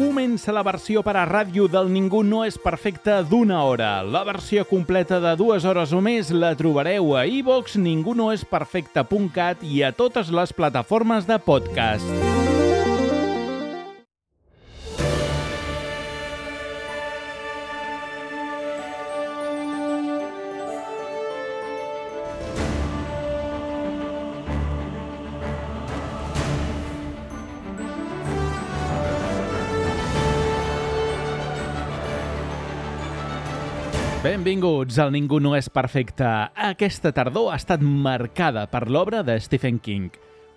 Comença la versió per a ràdio del Ningú no és perfecte d'1 hora. La versió completa de 2 hores o més la trobareu a iVoox, ningunoesperfecte.cat i a totes les plataformes de podcast. Benvinguts al Ningú no és perfecte. Aquesta tardor ha estat marcada per l'obra de Stephen King.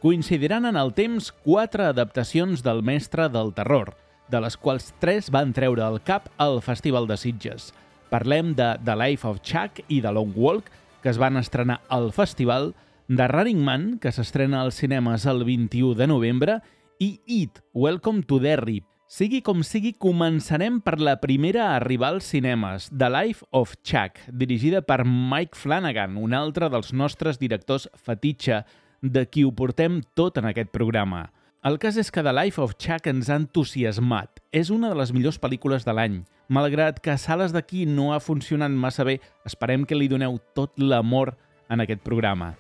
Coincidiran en el temps 4 adaptacions del mestre del terror, de les quals 3 van treure el cap al Festival de Sitges. Parlem de The Life of Chuck i The Long Walk, que es van estrenar al festival, de Running Man, que s'estrena als cinemes el 21 de novembre, i It, Welcome to Derry. Sigui com sigui, començarem per la primera a arribar als cinemes, The Life of Chuck, dirigida per Mike Flanagan, un altre dels nostres directors fetitxe, de qui ho portem tot en aquest programa. El cas és que The Life of Chuck ens ha entusiasmat. És una de les millors pel·lícules de l'any. Malgrat que a sales d'aquí no ha funcionat massa bé, esperem que li doneu tot l'amor en aquest programa.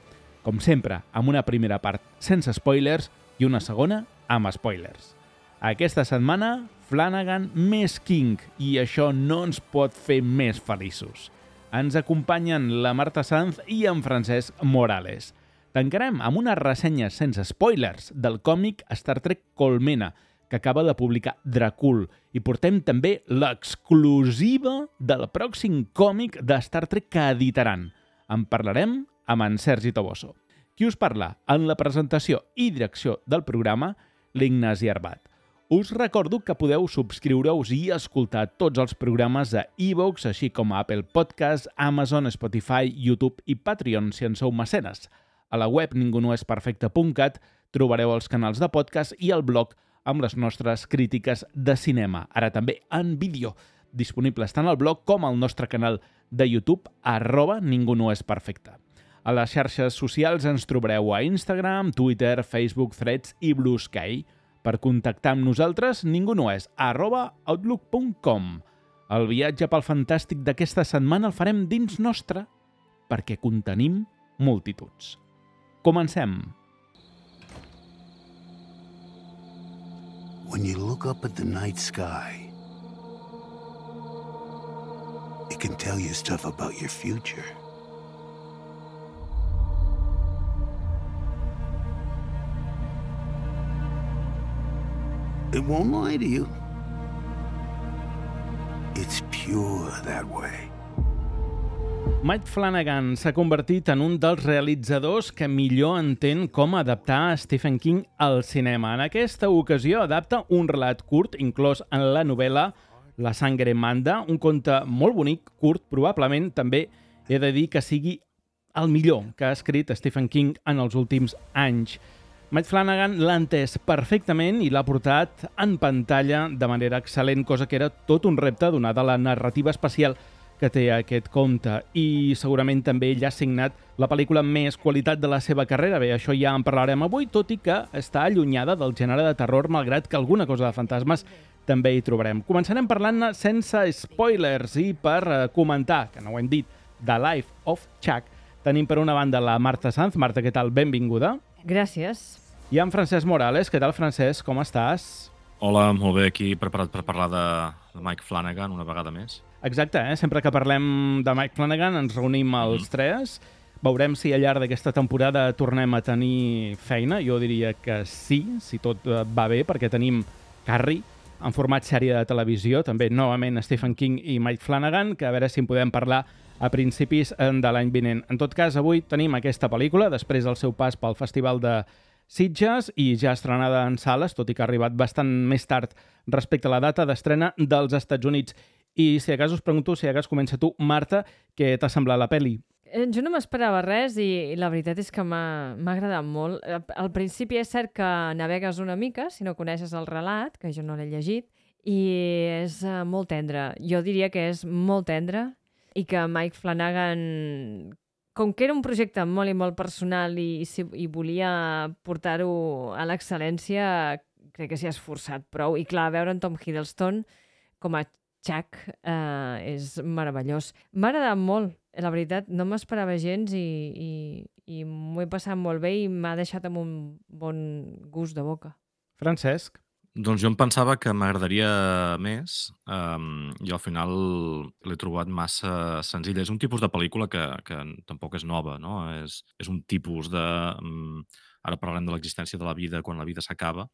Com sempre, amb una primera part sense spoilers i una segona amb spoilers. Aquesta setmana, Flanagan més King, i això no ens pot fer més feliços. Ens acompanyen la Marta Sanz i en Francesc Morales. Tancarem amb una ressenya sense spoilers del còmic Star Trek Colmena, que acaba de publicar Dracul, i portem també l'exclusiva del pròxim còmic de Star Trek que editaran. En parlarem amb en Sergi Toboso. Qui us parla en la presentació i direcció del programa, l'Ignasi Arbat. Us recordo que podeu subscriure-us i escoltar tots els programes a iVoox, així com a Apple Podcasts, Amazon, Spotify, YouTube i Patreon, si en sou mecenes. A la web ningunoesperfecte.cat trobareu els canals de podcast i el blog amb les nostres crítiques de cinema, ara també en vídeo, disponibles tant al blog com al nostre canal de YouTube, @ningunoesperfecte. A les xarxes socials ens trobareu a Instagram, Twitter, Facebook, Threads i Blue Sky. Per contactar amb nosaltres, ningunoes, @outlook.com. El viatge pel fantàstic d'aquesta setmana el farem dins nostre, perquè contenim multituds. Comencem. When you look up at the night sky, it can tell you stuff about your future. It won't lie to you. It's pure that way. Mike Flanagan s'ha convertit en un dels realitzadors que millor entén com adaptar Stephen King al cinema. En aquesta ocasió adapta un relat curt inclòs en la novel·la La sangre manda, un conte molt bonic, curt, probablement també he de dir que sigui el millor que ha escrit Stephen King en els últims anys. Mike Flanagan l'ha entès perfectament i l'ha portat en pantalla de manera excel·lent, cosa que era tot un repte donada la narrativa especial que té aquest conte. I segurament també ell ha signat la pel·lícula amb més qualitat de la seva carrera. Bé, això ja en parlarem avui, tot i que està allunyada del gènere de terror, malgrat que alguna cosa de fantasmes també hi trobarem. Començarem parlant-ne sense spoilers i per comentar, que no ho hem dit, The Life of Chuck. Tenim per una banda la Marta Sanz. Marta, què tal? Benvinguda. Gràcies. I en Francesc Morales. Què tal, Francesc? Com estàs? Hola, molt bé, aquí preparat per parlar de Mike Flanagan una vegada més. Exacte, Sempre que parlem de Mike Flanagan ens reunim els tres. Veurem si al llarg d'aquesta temporada tornem a tenir feina. Jo diria que sí, si tot va bé, perquè tenim Carrie en format sèrie de televisió, també novament Stephen King i Mike Flanagan, que a veure si en podem parlar a principis de l'any vinent. En tot cas, avui tenim aquesta pel·lícula, després del seu pas pel Festival de Sitges i ja estrenada en sales, tot i que ha arribat bastant més tard respecte a la data d'estrena dels Estats Units. I si a cas us pregunto, si a cas comença tu, Marta, què t'ha semblat la pel·li? Jo no m'esperava res i la veritat és que m'ha agradat molt. Al principi és cert que navegues una mica, si no coneixes el relat, que jo no l'he llegit, i és molt tendre. Jo diria que és molt tendre i que Mike Flanagan, com que era un projecte molt i molt personal i volia portar-ho a l'excel·lència, crec que s'hi ha esforçat prou. I clar, veure en Tom Hiddleston com a Chuck és meravellós. M'ha agradat molt, la veritat, no m'esperava gens i m'ho he passat molt bé i m'ha deixat amb un bon gust de boca. Francesc? Doncs jo em pensava que m'agradaria més i al final l'he trobat massa senzilla. És un tipus de pel·lícula que tampoc és nova, no? És un tipus de... Ara parlarem de l'existència de la vida quan la vida s'acaba.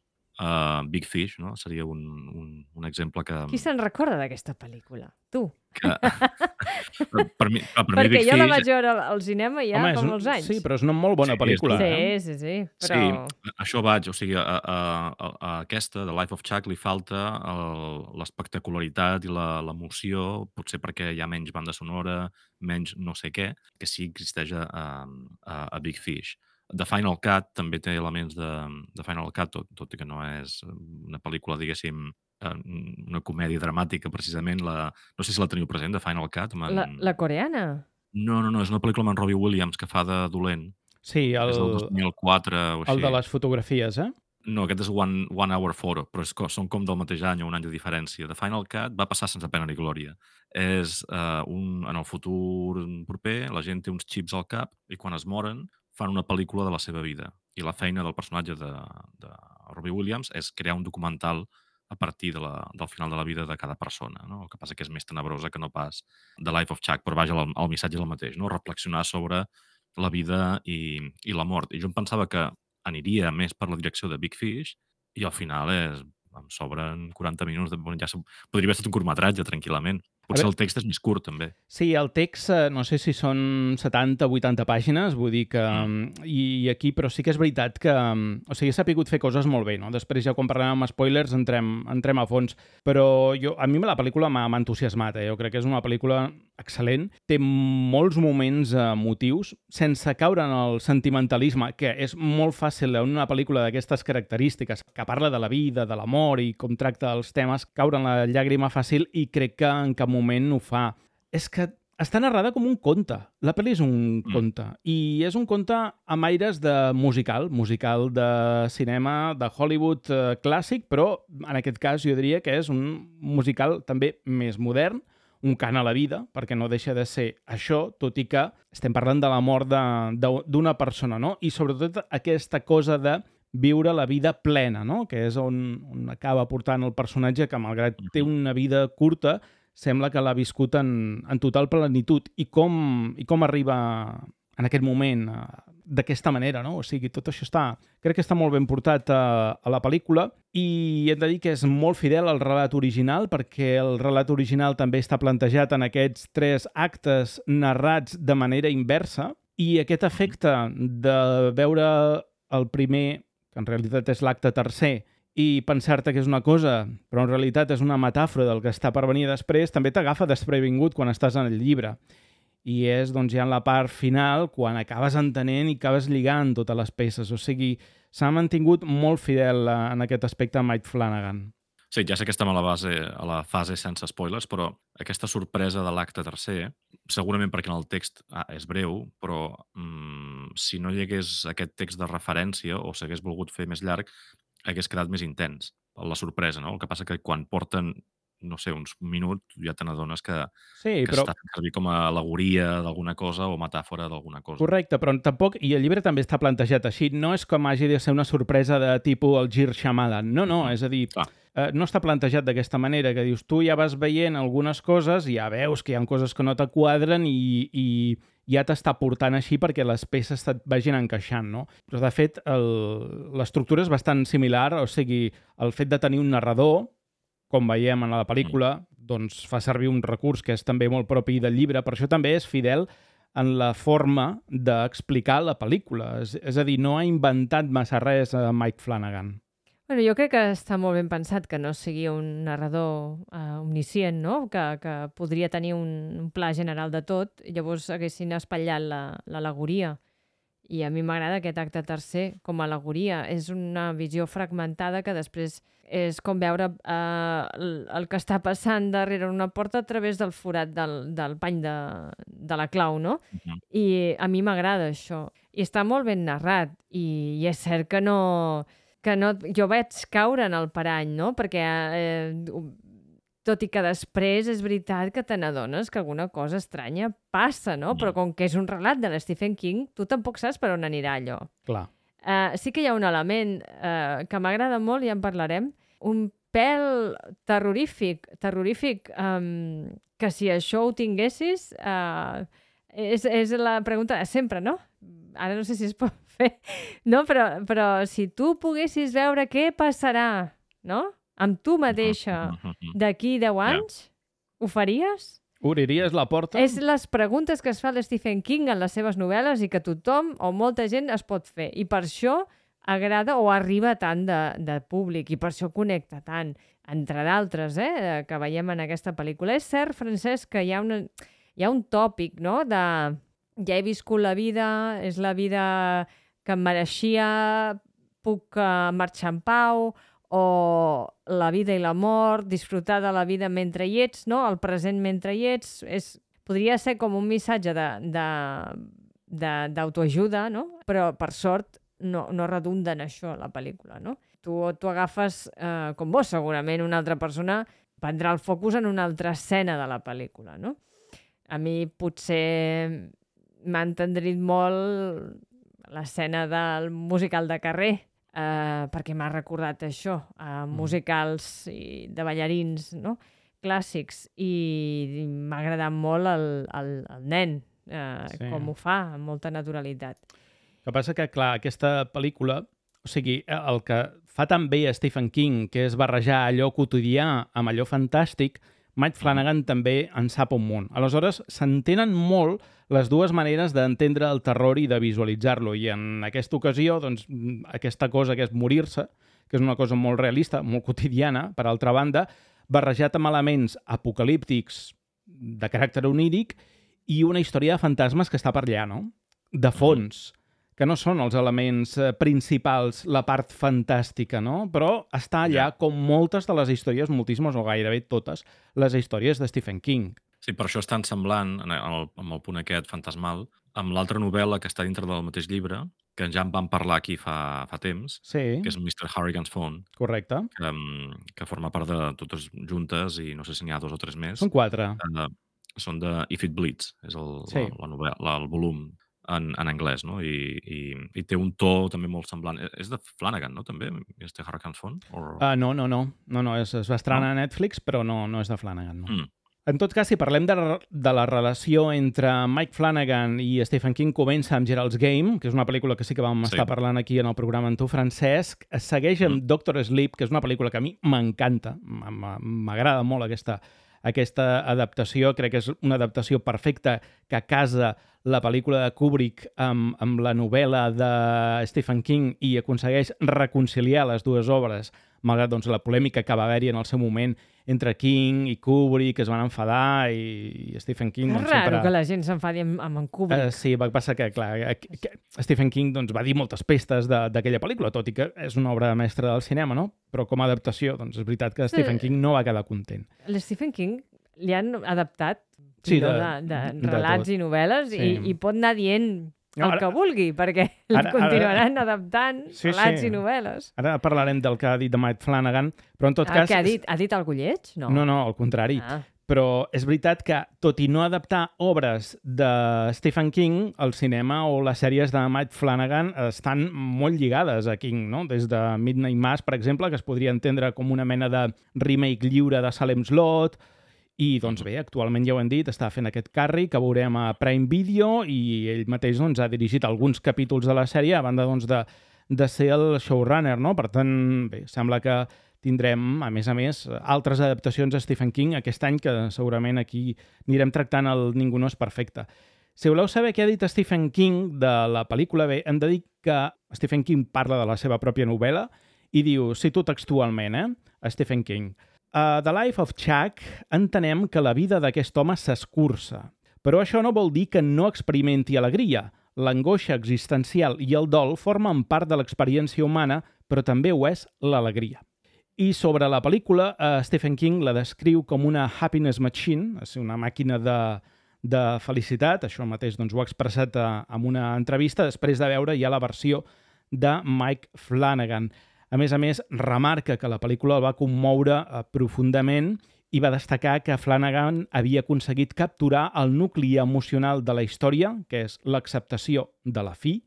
Big Fish, no? Seria un exemple que... Qui se'n recorda d'aquesta pel·lícula? Tu. Per mi Perquè Big jo la Fish... vaig veure al cinema ja fa molts anys. Sí, però és una molt bona pel·lícula. Sí, però... Sí, això vaig. O sigui, a aquesta, de Life of Chuck, li falta l'espectacularitat i l'emoció, potser perquè hi ha menys banda sonora, menys no sé què, que sí existeix a Big Fish. The Final Cut també té elements de Final Cut, tot i que no és una pel·lícula, diguéssim, una comèdia dramàtica, precisament. No sé si la teniu present, The Final Cut. La coreana? No, és una pel·lícula amb en Robbie Williams que fa de dolent. Sí, és del 2004 o així. El de les fotografies, eh? No, aquest és One Hour Photo, però són com del mateix any o un any de diferència. The Final Cut va passar sense pena ni glòria. És en el futur proper, la gent té uns xips al cap i quan es moren fan una pel·lícula de la seva vida. I la feina del personatge de Robbie Williams és crear un documental a partir del final de la vida de cada persona. No? El que passa que és més tenebrosa que no pas The Life of Chuck, però vaja, el missatge és el mateix, no? Reflexionar sobre la vida i la mort. I jo em pensava que aniria més per la direcció de Big Fish i al final em sobren 40 minuts. Ja podria haver estat un curtmetratge, tranquil·lament. Potser el text és més curt, també. Sí, el text, no sé si són 70 o 80 pàgines, vull dir que... I aquí, però sí que és veritat que... O sigui, s'ha pogut fer coses molt bé, no? Després ja quan parlem amb spoilers entrem a fons. Però a mi la pel·lícula m'ha entusiasmat, Jo crec que és una pel·lícula excel·lent. Té molts moments emotius, sense caure en el sentimentalisme, que és molt fàcil en una pel·lícula d'aquestes característiques, que parla de la vida, de l'amor i com tracta els temes, caure en la llàgrima fàcil, i crec que en cap moment ho fa. És que està narrada com un conte. La pel·li és un conte. I és un conte amb aires de musical de cinema, de Hollywood clàssic, però en aquest cas jo diria que és un musical també més modern, un cant a la vida, perquè no deixa de ser això, tot i que estem parlant de la mort d'una persona, no? I sobretot aquesta cosa de viure la vida plena, no? Que és on acaba portant el personatge, que malgrat té una vida curta, sembla que l'ha viscut en total plenitud. I com arriba en aquest moment d'aquesta manera, no? O sigui, tot això crec que està molt ben portat a la pel·lícula, i hem de dir que és molt fidel al relat original, perquè el relat original també està plantejat en aquests 3 actes narrats de manera inversa, i aquest efecte de veure el primer, que en realitat és l'acte tercer, i pensar-te que és una cosa, però en realitat és una metàfora del que està per venir després, també t'agafa desprevingut quan estàs en el llibre. I és, doncs, ja en la part final, quan acabes entenent i acabes lligant totes les peces. O sigui, s'ha mantingut molt fidel en aquest aspecte a Mike Flanagan. Sí, ja sé que estem a la fase sense spoilers, però aquesta sorpresa de l'acte tercer, segurament perquè en el text és breu, però si no hi hagués aquest text de referència o s'hagués volgut fer més llarg, hagués quedat més intens, la sorpresa, no? El que passa que quan porten, no sé, uns minuts, ja te n'adones que està fent servir com a al·legoria d'alguna cosa o metàfora d'alguna cosa. Correcte, però tampoc, i el llibre també està plantejat així, no és com hagi de ser una sorpresa de tipus el Gir Shyamalan, no, és a dir, no està plantejat d'aquesta manera, que dius, tu ja vas veient algunes coses i ja veus que hi ha coses que no t'quadren i ja t'està portant així perquè les peces et vagin encaixant, no? Però, de fet, l'estructura és bastant similar, o sigui, el fet de tenir un narrador, com veiem en la pel·lícula, doncs fa servir un recurs que és també molt propi del llibre, per això també és fidel en la forma d'explicar la pel·lícula. És a dir, no ha inventat massa res a Mike Flanagan. Bueno, jo crec que està molt ben pensat que no sigui un narrador omniscient, no? Que podria tenir un pla general de tot, i llavors haguessin espatllat l'al·legoria. I a mi m'agrada aquest acte tercer com a al·legoria. És una visió fragmentada que després és com veure el que està passant darrere una porta a través del forat del pany de la clau, no? I a mi m'agrada això. I està molt ben narrat. I és cert que no que no, jo vaig caure en el parany, no? Perquè tot i que després és veritat que te n'adones que alguna cosa estranya passa, no? Però com que és un relat de l'Stephen King, tu tampoc saps per on anirà allò. Clar. Sí que hi ha un element que m'agrada molt, ja en parlarem, un pèl terrorífic, que si això ho tinguessis, és la pregunta de sempre, no? Ara no sé si es pot fer, no? Però si tu poguessis veure què passarà, no?, amb tu mateixa d'aquí 10 anys, ho faries? Obriries la porta? És les preguntes que es fa l'Stephen King en les seves novel·les i que tothom o molta gent es pot fer. I per això agrada o arriba tant de públic i per això connecta tant, entre d'altres, que veiem en aquesta pel·lícula. És cert, Francesc, que hi ha un tòpic, no?, de ja he viscut la vida, és la vida que em mereixia, puc marxar en pau, o la vida i la mort, disfrutar de la vida mentre hi ets, no?, el present mentre hi ets. Podria ser com un missatge d'autoajuda, no?, però per sort no redunda en això la pel·lícula, no? Tu agafes, com vos segurament, una altra persona prendrà el focus en una altra escena de la pel·lícula, no? A mi potser m'ha entendrit molt l'escena del musical de carrer, perquè m'ha recordat això, musicals de ballarins, no?, clàssics, i m'ha agradat molt el nen, com ho fa, amb molta naturalitat. El que passa que, clar, aquesta pel·lícula, o sigui, el que fa tan bé a Stephen King, que és barrejar allò quotidià amb allò fantàstic, Mike Flanagan també en sap un munt. Aleshores, s'entenen molt les dues maneres d'entendre el terror i de visualitzar-lo. I en aquesta ocasió, doncs, aquesta cosa que és morir-se, que és una cosa molt realista, molt quotidiana, per altra banda, barrejat amb elements apocalíptics de caràcter oníric i una història de fantasmes que està per allà, no?, de fons, que no són els elements principals, la part fantàstica, no? Però està allà com moltes de les històries, moltíssimes o gairebé totes, les històries de Stephen King. Sí, per això és tan semblant, amb el punt aquest fantasmal, amb l'altra novel·la que està dintre del mateix llibre, que ja en vam parlar aquí fa temps, Sí. que és Mr. Harrigan's Phone. Correcte. Que forma part de totes juntes, i no sé si n'hi ha 2 o 3 més. Són 4. Són de If It Bleeds, és la novel·la, el volum en anglès, no? I té un to també molt semblant. És de Flanagan, no?, també, Mr. Harrigan's Phone? No, es va estrenar a Netflix, però no és de Flanagan, no. En tot cas, si parlem de la relació entre Mike Flanagan i Stephen King, comença amb Gerald's Game, que és una pel·lícula que sí que vam estar parlant aquí en el programa amb tu, Francesc. Es segueix amb Doctor Sleep, que és una pel·lícula que a mi m'encanta, m'agrada molt aquesta adaptació. Crec que és una adaptació perfecta que casa la pel·lícula de Kubrick amb la novel·la de Stephen King i aconsegueix reconciliar les dues obres, malgrat la polèmica que va haver-hi en el seu moment entre King i Kubrick, que es van enfadar, i Stephen King... És raro que la gent s'enfadi amb en Kubrick. Sí, va passar que, clar, Stephen King va dir moltes pestes d'aquella pel·lícula, tot i que és una obra mestra del cinema, no? Però com a adaptació, és veritat que Stephen King no va quedar content. L'Stephen King li han adaptat de relats i novel·les i pot anar dient el que vulgui, perquè continuaran adaptant relats i novel·les. Ara parlarem del que ha dit de Mike Flanagan, però en tot cas... Què ha dit? Ha dit algú lleig? No, al contrari. Però és veritat que, tot i no adaptar obres de Stephen King, el cinema o les sèries de Mike Flanagan estan molt lligades a King, no? Des de Midnight Mass, per exemple, que es podria entendre com una mena de remake lliure de Salem's Lot. I, doncs bé, actualment ja ho hem dit, està fent aquest càrrec que veurem a Prime Video i ell mateix ha dirigit alguns capítols de la sèrie a banda de ser el showrunner, no? Per tant, bé, sembla que tindrem, a més, altres adaptacions a Stephen King aquest any, que segurament aquí anirem tractant el Ningú no és perfecte. Si voleu saber què ha dit Stephen King de la pel·lícula, bé, hem de dir que Stephen King parla de la seva pròpia novel·la i diu, cito textualment, a Stephen King: A The Life of Chuck entenem que la vida d'aquest home s'escurça, però això no vol dir que no experimenti alegria. L'angoixa existencial i el dol formen part de l'experiència humana, però també ho és l'alegria. I sobre la pel·lícula, Stephen King la descriu com una happiness machine, és una màquina de felicitat. Això mateix ho ha expressat en una entrevista després de veure ja la versió de Mike Flanagan. A més, remarca que la pel·lícula el va commoure profundament i va destacar que Flanagan havia aconseguit capturar el nucli emocional de la història, que és l'acceptació de la fi,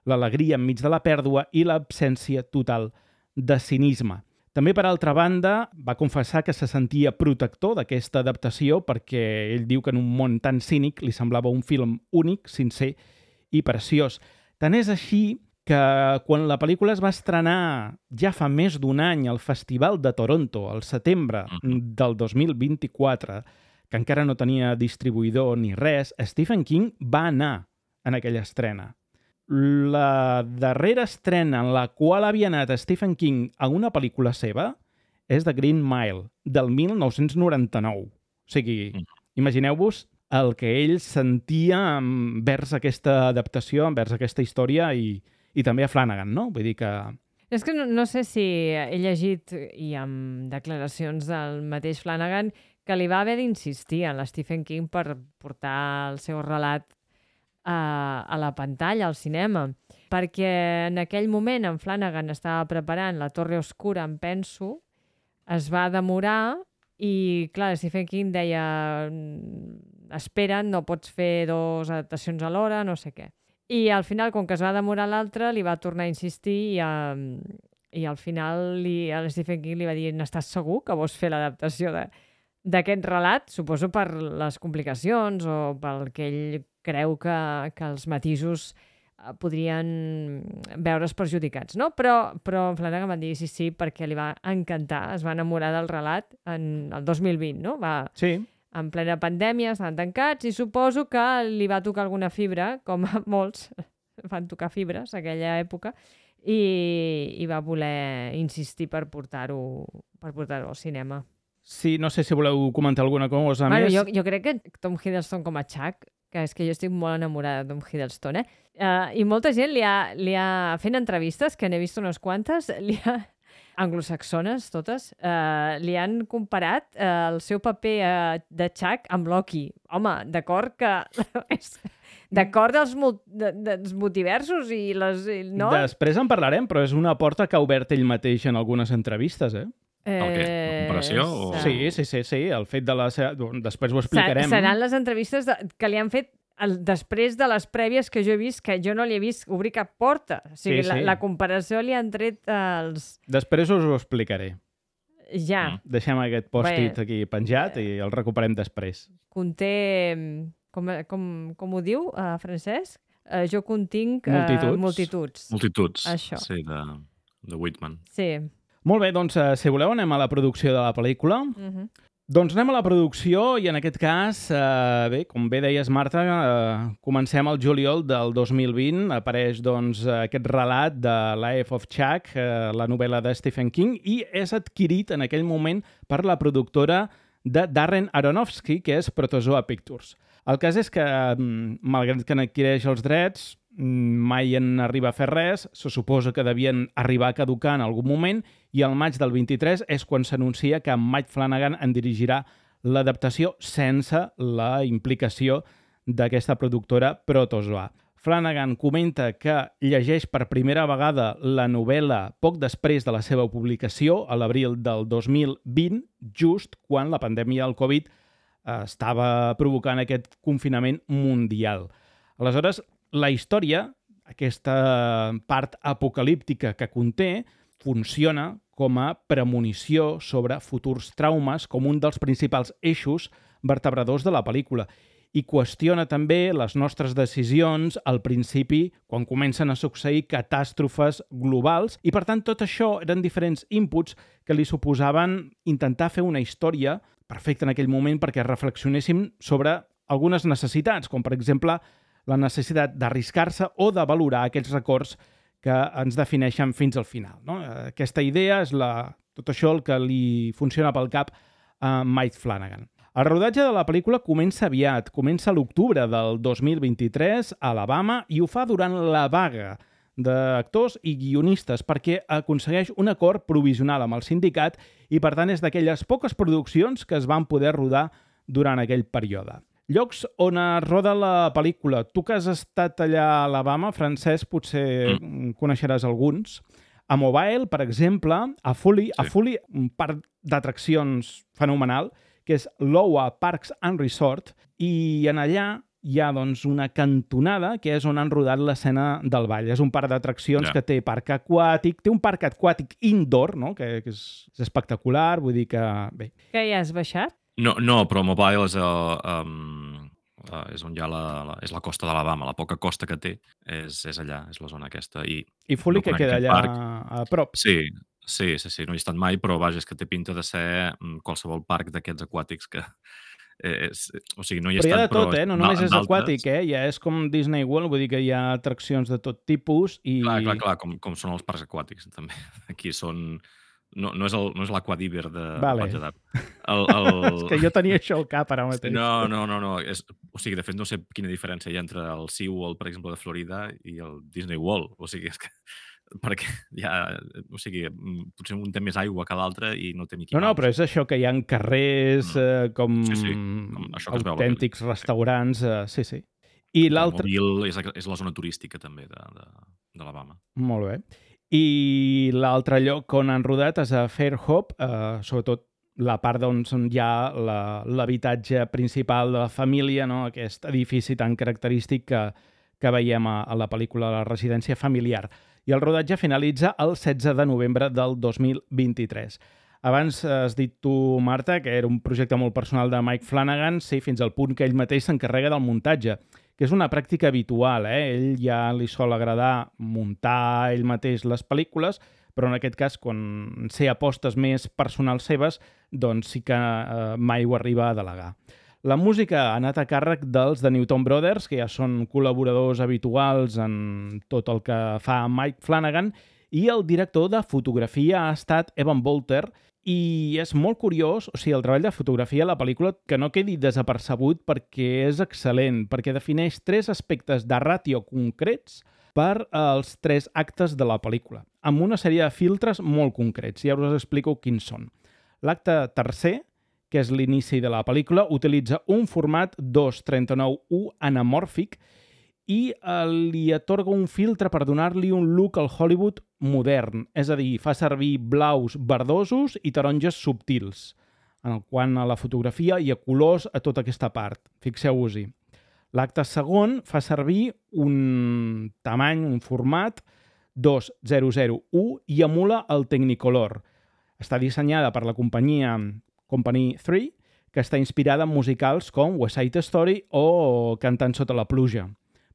l'alegria enmig de la pèrdua i l'absència total de cinisme. També, per altra banda, va confessar que se sentia protector d'aquesta adaptació perquè ell diu que en un món tan cínic li semblava un film únic, sincer i preciós. Tant és així que quan la pel·lícula es va estrenar ja fa més d'un any al Festival de Toronto, al setembre del 2024, que encara no tenia distribuïdor ni res, Stephen King va anar en aquella estrena. La darrera estrena en la qual havia anat Stephen King a una pel·lícula seva és The Green Mile, del 1999. O sigui, imagineu-vos el que ell sentia envers aquesta adaptació, envers aquesta història i també a Flanagan, no? Vull dir que... És que no sé si he llegit, i amb declaracions del mateix Flanagan, que li va haver d'insistir en l'Stephen King per portar el seu relat a la pantalla, al cinema. Perquè en aquell moment en Flanagan estava preparant La Torre Oscura, em penso, es va demorar i, clar, Stephen King deia espera, no pots fer 2 adaptacions alhora, no sé què. I al final, com que es va demorar l'altre, li va tornar a insistir i al final Stephen King li va dir n'estàs segur que vols fer l'adaptació d'aquest relat? Suposo per les complicacions o pel que ell creu que els matisos podrien veure's perjudicats, no? Però Flanagan va dir sí, perquè li va encantar, es va enamorar del relat en el 2020, no? Sí. En plena pandèmia, estaven tancats i suposo que li va tocar alguna fibra, com a molts van tocar fibres en aquella època, i va voler insistir per portar-ho al cinema. Sí, no sé si voleu comentar alguna cosa més. més. Jo crec que Tom Hiddleston com a Chuck, que és que jo estic molt enamorada de Tom Hiddleston, i molta gent li ha fent entrevistes, que n'he vist unes quantes, anglosaxones totes, li han comparat el seu paper de Chuck amb Loki. Home, d'acord que... d'acord dels multiversos i les... No? Després en parlarem, però és una porta que ha obert ell mateix en algunes entrevistes, El què? La comparació? O... Sí, el fet de la... Després ho explicarem. Seran les entrevistes que li han fet després de les prèvies que jo he vist, que jo no li he vist obrir cap porta. O sigui, sí. La comparació li han tret els... Després us ho explicaré. Ja. Deixem aquest post-it aquí penjat i el recuperem després. Conté... Com ho diu, Francesc? Jo continc... Multituds. Multituds. Això. Sí, de Whitman. Sí. Molt bé, doncs, si voleu, anem a la producció de la pel·lícula. Doncs anem a la producció i en aquest cas, com bé deies, Marta, comencem al juliol del 2020. Apareix doncs, aquest relat de Life of Chuck, la novel·la de Stephen King, i és adquirit en aquell moment per la productora de Darren Aronofsky, que és Protozoa Pictures. El cas és que, malgrat que n'adquireix els drets, mai en arriba a fer res, se suposa que devien arribar a caducar en algun moment i al maig del 23 és quan s'anuncia que Mike Flanagan en dirigirà l'adaptació sense la implicació d'aquesta productora Protozoa. Flanagan comenta que llegeix per primera vegada la novel·la poc després de la seva publicació, a l'abril del 2020, just quan la pandèmia del Covid estava provocant aquest confinament mundial. Aleshores, la història, aquesta part apocalíptica que conté, funciona com a premonició sobre futurs traumes, com un dels principals eixos vertebradors de la pel·lícula. I qüestiona també les nostres decisions al principi, quan comencen a succeir catàstrofes globals, i per tant tot això eren diferents inputs que li suposaven intentar fer una història perfecta en aquell moment perquè reflexionéssim sobre algunes necessitats, com per exemple la necessitat d'arriscar-se o de valorar aquests records que ens defineixen fins al final. No? Aquesta idea és tot això el que li funciona pel cap a Mike Flanagan. El rodatge de la pel·lícula comença aviat, comença a l'octubre del 2023 a Alabama i ho fa durant la vaga d'actors i guionistes perquè aconsegueix un acord provisional amb el sindicat i per tant és d'aquelles poques produccions que es van poder rodar durant aquell període. Llocs on es roda la pel·lícula. Tu que has estat allà a Alabama, Francesc, potser coneixeràs alguns. A Mobile, per exemple, a Fully, un parc d'atraccions fenomenal, que és l'Owa Parks and Resort, i en allà hi ha doncs, una cantonada que és on han rodat l'escena del ball. És un parc d'atraccions que té parc aquàtic, té un parc aquàtic indoor, no? que és espectacular, vull dir que... Bé. Que ja has baixat? No, però Mobile és on hi ha és la costa d'Alabama, la poca costa que té és allà, és la zona aquesta. I Fully que queda allà a prop. Sí, no he estat mai, però vaja, és que té pinta de ser qualsevol parc d'aquests aquàtics que... o sigui, no hi he però hi ha estat, de tot, però no només és aquàtic, ja és com Disney World, vull dir que hi ha atraccions de tot tipus i... Clar, com són els parcs aquàtics, també. Aquí són... No és l'Aquadiver de Platja d'Aro. És que jo tenia això al cap ara mateix. No. O sigui, de fet, no sé quina diferència hi ha entre el SeaWorld, per exemple, de Florida i el Disney World. O sigui, és que... perquè o sigui, potser un té més aigua que l'altre i no té Mickey Mouse. No, però és això que hi ha carrers com autèntics restaurants, sí. I l'altre... Mobile és la zona turística també d'Alabama. Molt bé. I l'altre lloc on han rodat és a Fairhope, sobretot la part on hi ha l'habitatge principal de la família, no? Aquest edifici tan característic que veiem a la pel·lícula La residència familiar. I el rodatge finalitza el 16 de novembre del 2023. Abans has dit tu, Marta, que era un projecte molt personal de Mike Flanagan, sí, fins al punt que ell mateix s'encarrega del muntatge, que és una pràctica habitual. Ell ja li sol agradar muntar ell mateix les pel·lícules, però en aquest cas, quan sé apostes més personals seves, doncs sí que mai ho arriba a delegar. La música ha anat a càrrec dels The Newton Brothers, que ja són col·laboradors habituals en tot el que fa Mike Flanagan, i el director de fotografia ha estat Evan Bolter, i és molt curiós, o sigui, el treball de fotografia a la pel·lícula que no quedi desapercebut perquè és excel·lent, perquè defineix 3 aspectes de ràtio concrets per als 3 actes de la pel·lícula, amb una sèrie de filtres molt concrets, i ja us explico quins són. L'acte tercer, que és l'inici de la pel·lícula, utilitza un format 2:39:1 anamòrfic i li atorga un filtre per donar-li un look al Hollywood modern, és a dir, fa servir blaus verdosos i taronges subtils. En quant a la fotografia, hi ha colors a tota aquesta part, fixeu-vos-hi. L'acte segon fa servir un tamany, un format 2:0:1 i emula el Technicolor. Està dissenyada per la companyia Company 3, que està inspirada en musicals com West Side Story o Cantant sota la pluja.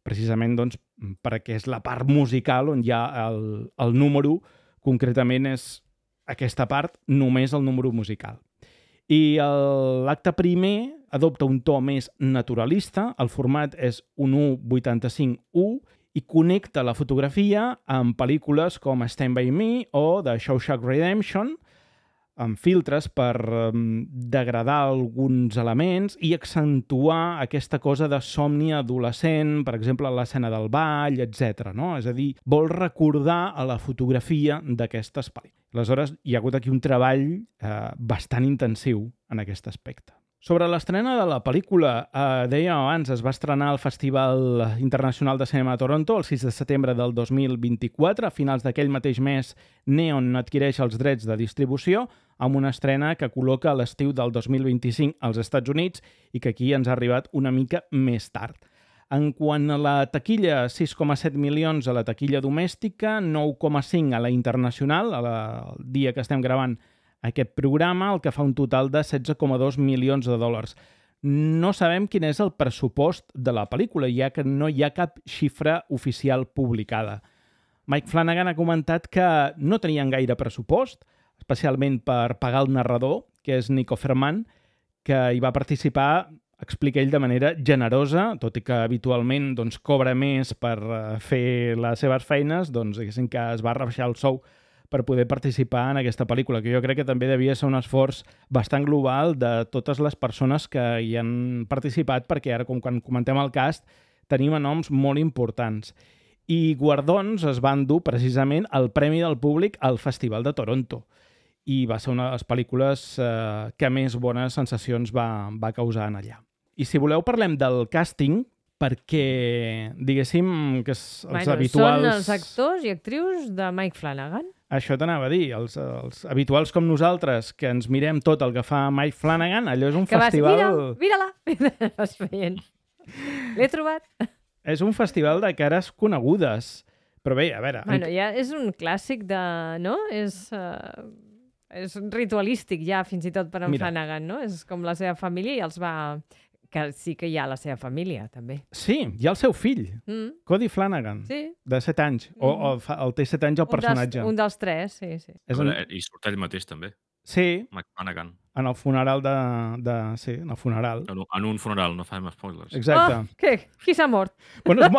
Precisament doncs, perquè és la part musical on hi ha el número, concretament és aquesta part, només el número musical. I l'acte primer adopta un to més naturalista, el format és un 1:85:1 i connecta la fotografia amb pel·lícules com Stand By Me o The Shawshank Redemption, amb filtres per degradar alguns elements i accentuar aquesta cosa de somni adolescent, per exemple, l'escena del ball, etc. No? És a dir, vol recordar a la fotografia d'aquestes pel·lícules. Aleshores, hi ha hagut aquí un treball bastant intensiu en aquest aspecte. Sobre l'estrena de la pel·lícula, dèiem abans, es va estrenar al Festival Internacional de Cinema de Toronto el 6 de setembre del 2024. A finals d'aquell mateix mes, Neon adquireix els drets de distribució amb una estrena que col·loca a l'estiu del 2025 als Estats Units i que aquí ens ha arribat una mica més tard. En quant a la taquilla, 6,7 milions a la taquilla domèstica, 9,5 a la internacional, al dia que estem gravant aquest programa, el que fa un total de 16,2 milions de dòlars. No sabem quin és el pressupost de la pel·lícula, ja que no hi ha cap xifra oficial publicada. Mike Flanagan ha comentat que no tenien gaire pressupost, especialment per pagar el narrador, que és Nick Offerman, que hi va participar, explica ell, de manera generosa, tot i que habitualment cobra més per fer les seves feines, diguéssim que es va rebaixar el sou per poder participar en aquesta pel·lícula, que jo crec que també devia ser un esforç bastant global de totes les persones que hi han participat, perquè ara, com quan comentem el cast, tenim noms molt importants. I guardons es van dur precisament el Premi del Públic al Festival de Toronto. I va ser una de les pel·lícules que més bones sensacions va causar en allà. I si voleu parlem del càsting, perquè, diguéssim, que els habituals... Són els actors i actrius de Mike Flanagan? Això t'anava a dir, els habituals com nosaltres, que ens mirem tot el que fa Mike Flanagan, allò és un Que vas, festival... mira-la! Vas veient. L'he trobat. És un festival de cares conegudes. Però bé, a veure... Bueno, ja és un clàssic de... no? És ritualístic ja, fins i tot per en Flanagan, no? És com la seva família i els va... Que sí que hi ha la seva família, també. Sí, hi ha el seu fill, Cody Flanagan, de 7 anys. O el té 7 anys el personatge. Un dels 3, sí. I surt ell mateix, també. Sí, Mike Flanagan. en el funeral Sí, en el funeral. En un funeral, no farem spoilers. Exacte. Oh, què? Qui s'ha mort? Bueno,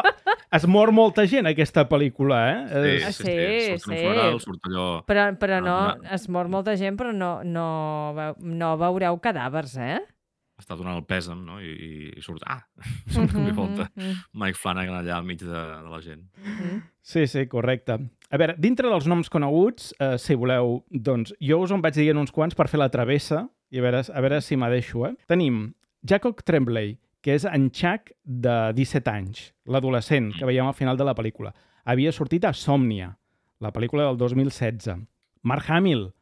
es mor molta gent, aquesta pel·lícula, eh? Sí. Surt en un funeral, surt allò... Però no, es mor molta gent, però no veureu cadàvers, eh? Està donant el pèsam, no? I surt... Surt de volta Mike Flanagan allà al mig de la gent. Sí, correcte. A veure, dintre dels noms coneguts, si voleu, doncs, jo us en vaig dient uns quants per fer la travessa i a veure si m'adeixo, eh? Tenim Jacob Tremblay, que és en Chuck de 17 anys, l'adolescent que veiem al final de la pel·lícula. Havia sortit a Somnia, la pel·lícula del 2016. Mark Hamill,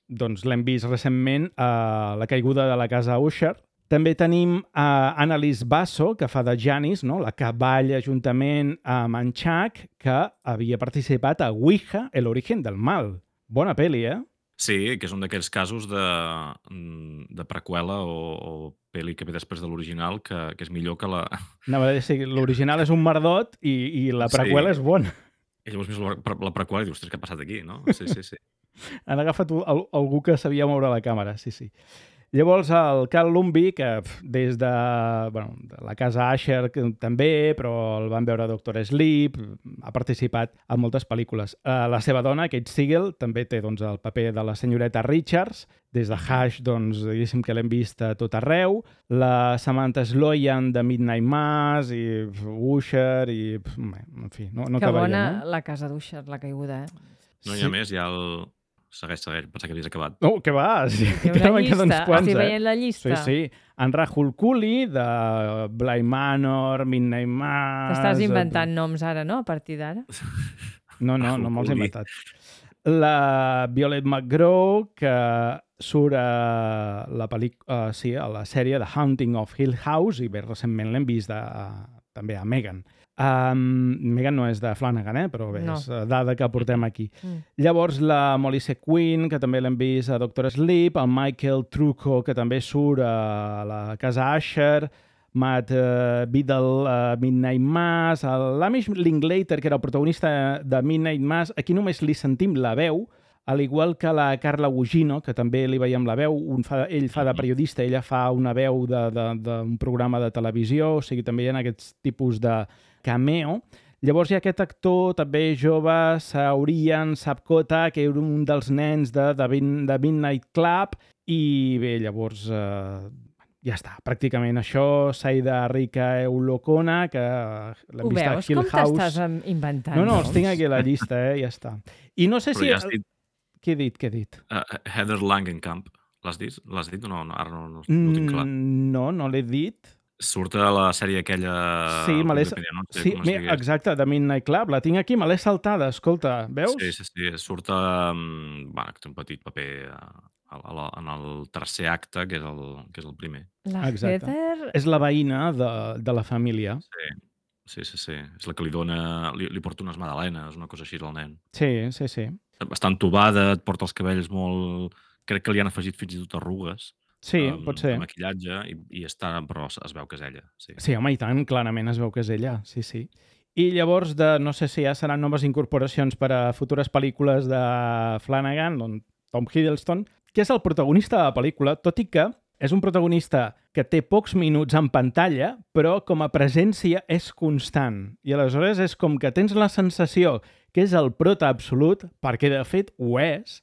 doncs l'hem vist recentment a La caiguda de la casa Usher. També tenim Annalise Basso, que fa de Janice, no? La que balla juntament amb en Chuck, que havia participat a Ouija, el origen del mal. Bona pel·li, eh? Sí, que és un d'aquells casos de preqüela o pel·li que ve després de l'original, que és millor que la... Anava a dir, l'original és un merdot i la preqüela és bona. I llavors mires la preqüela i dius, ostres, què ha passat aquí, no? Sí. Han agafat algú que sabia moure la càmera, sí. Llavors, el Carl Lumbly, que des de la casa Asher també, però el van veure a Dr. Sleep, ha participat en moltes pel·lícules. La seva dona, Kate Siegel, també té el paper de la senyoreta Richards. Des de Hush, diguéssim que l'hem vist a tot arreu. La Samantha Sloyan de Midnight Mass i Usher i... En fi, no que acabaria, bona no? la casa d'Usher, la caiguda, No hi ha més, hi ha el... Segueix, pensava que havies acabat. No, què va? Sí, hi ha una llista, estic veient la llista. Sí. En Rahul Cooley, de Bly Manor, Midnight Mass... T'estàs inventant noms ara, no? A partir d'ara? No me'ls he inventat. La Violet McGraw, que surt a la sèrie The Haunting of Hill House, i bé, recentment l'hem vist també a Megan. Megan no és de Flanagan, però bé, és dada que portem aquí. Llavors, la Molly Sequin, que també l'hem vist a Dr. Sleep, el Michael Trucco, que també surt a la casa Asher, Matt Biddle a Midnight Mass, l'Amish Linklater, que era el protagonista de Midnight Mass, aquí només li sentim la veu, al igual que la Carla Gugino, que també li veiem la veu, ell fa de periodista, ella fa una veu d'un programa de televisió, o sigui, també hi ha aquests tipus de cameo. Llavors hi ha aquest actor també jove, Saurian Sapkota, que era un dels nens de Midnight Club, i bé, llavors ja està, pràcticament això. Saida Rika Eulokona, que l'hem vist a Hill House. Com t'estàs inventant? No, els tinc aquí a la llista, ja està. I no sé si... Però ja has dit... Què he dit? Heather Langenkamp. L'has dit o no? Ara no ho tinc clar. No l'he dit. Surt a la sèrie aquella... Sí, exacte, de Midnight Club. La tinc aquí, me l'he saltada, escolta, veus? Sí. Surt que té un petit paper en el tercer acte, que és el primer. La Heather... És la veïna de la família. Sí. És la que li porta unes magdalenes, una cosa així al nen. Sí. Està entubada, et porta els cabells molt... Crec que li han afegit fins i tot arrugues. Sí, pot ser. De maquillatge, i però es veu que és ella. Sí, home, i tant, clarament es veu que és ella, sí. I llavors, no sé si ja seran noves incorporacions per a futures pel·lícules de Flanagan, Tom Hiddleston, que és el protagonista de la pel·lícula, tot i que és un protagonista que té pocs minuts en pantalla, però com a presència és constant. I aleshores és com que tens la sensació que és el prota absolut, perquè de fet ho és,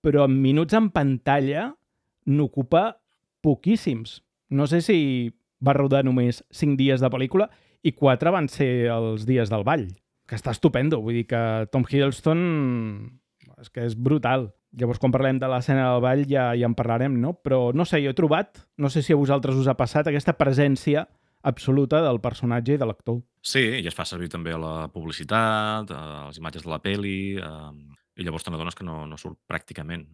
però en minuts en pantalla n'ocupa poquíssims. No sé si va rodar només 5 dies de pel·lícula i 4 van ser els dies del ball, que està estupendo. Vull dir que Tom Hiddleston és que és brutal. Llavors, quan parlem de l'escena del ball ja en parlarem, no? Però no sé, jo he trobat, no sé si a vosaltres us ha passat, aquesta presència absoluta del personatge i de l'actor. Sí, i es fa servir també a la publicitat, a les imatges de la peli, i i llavors te n'adones que no surt pràcticament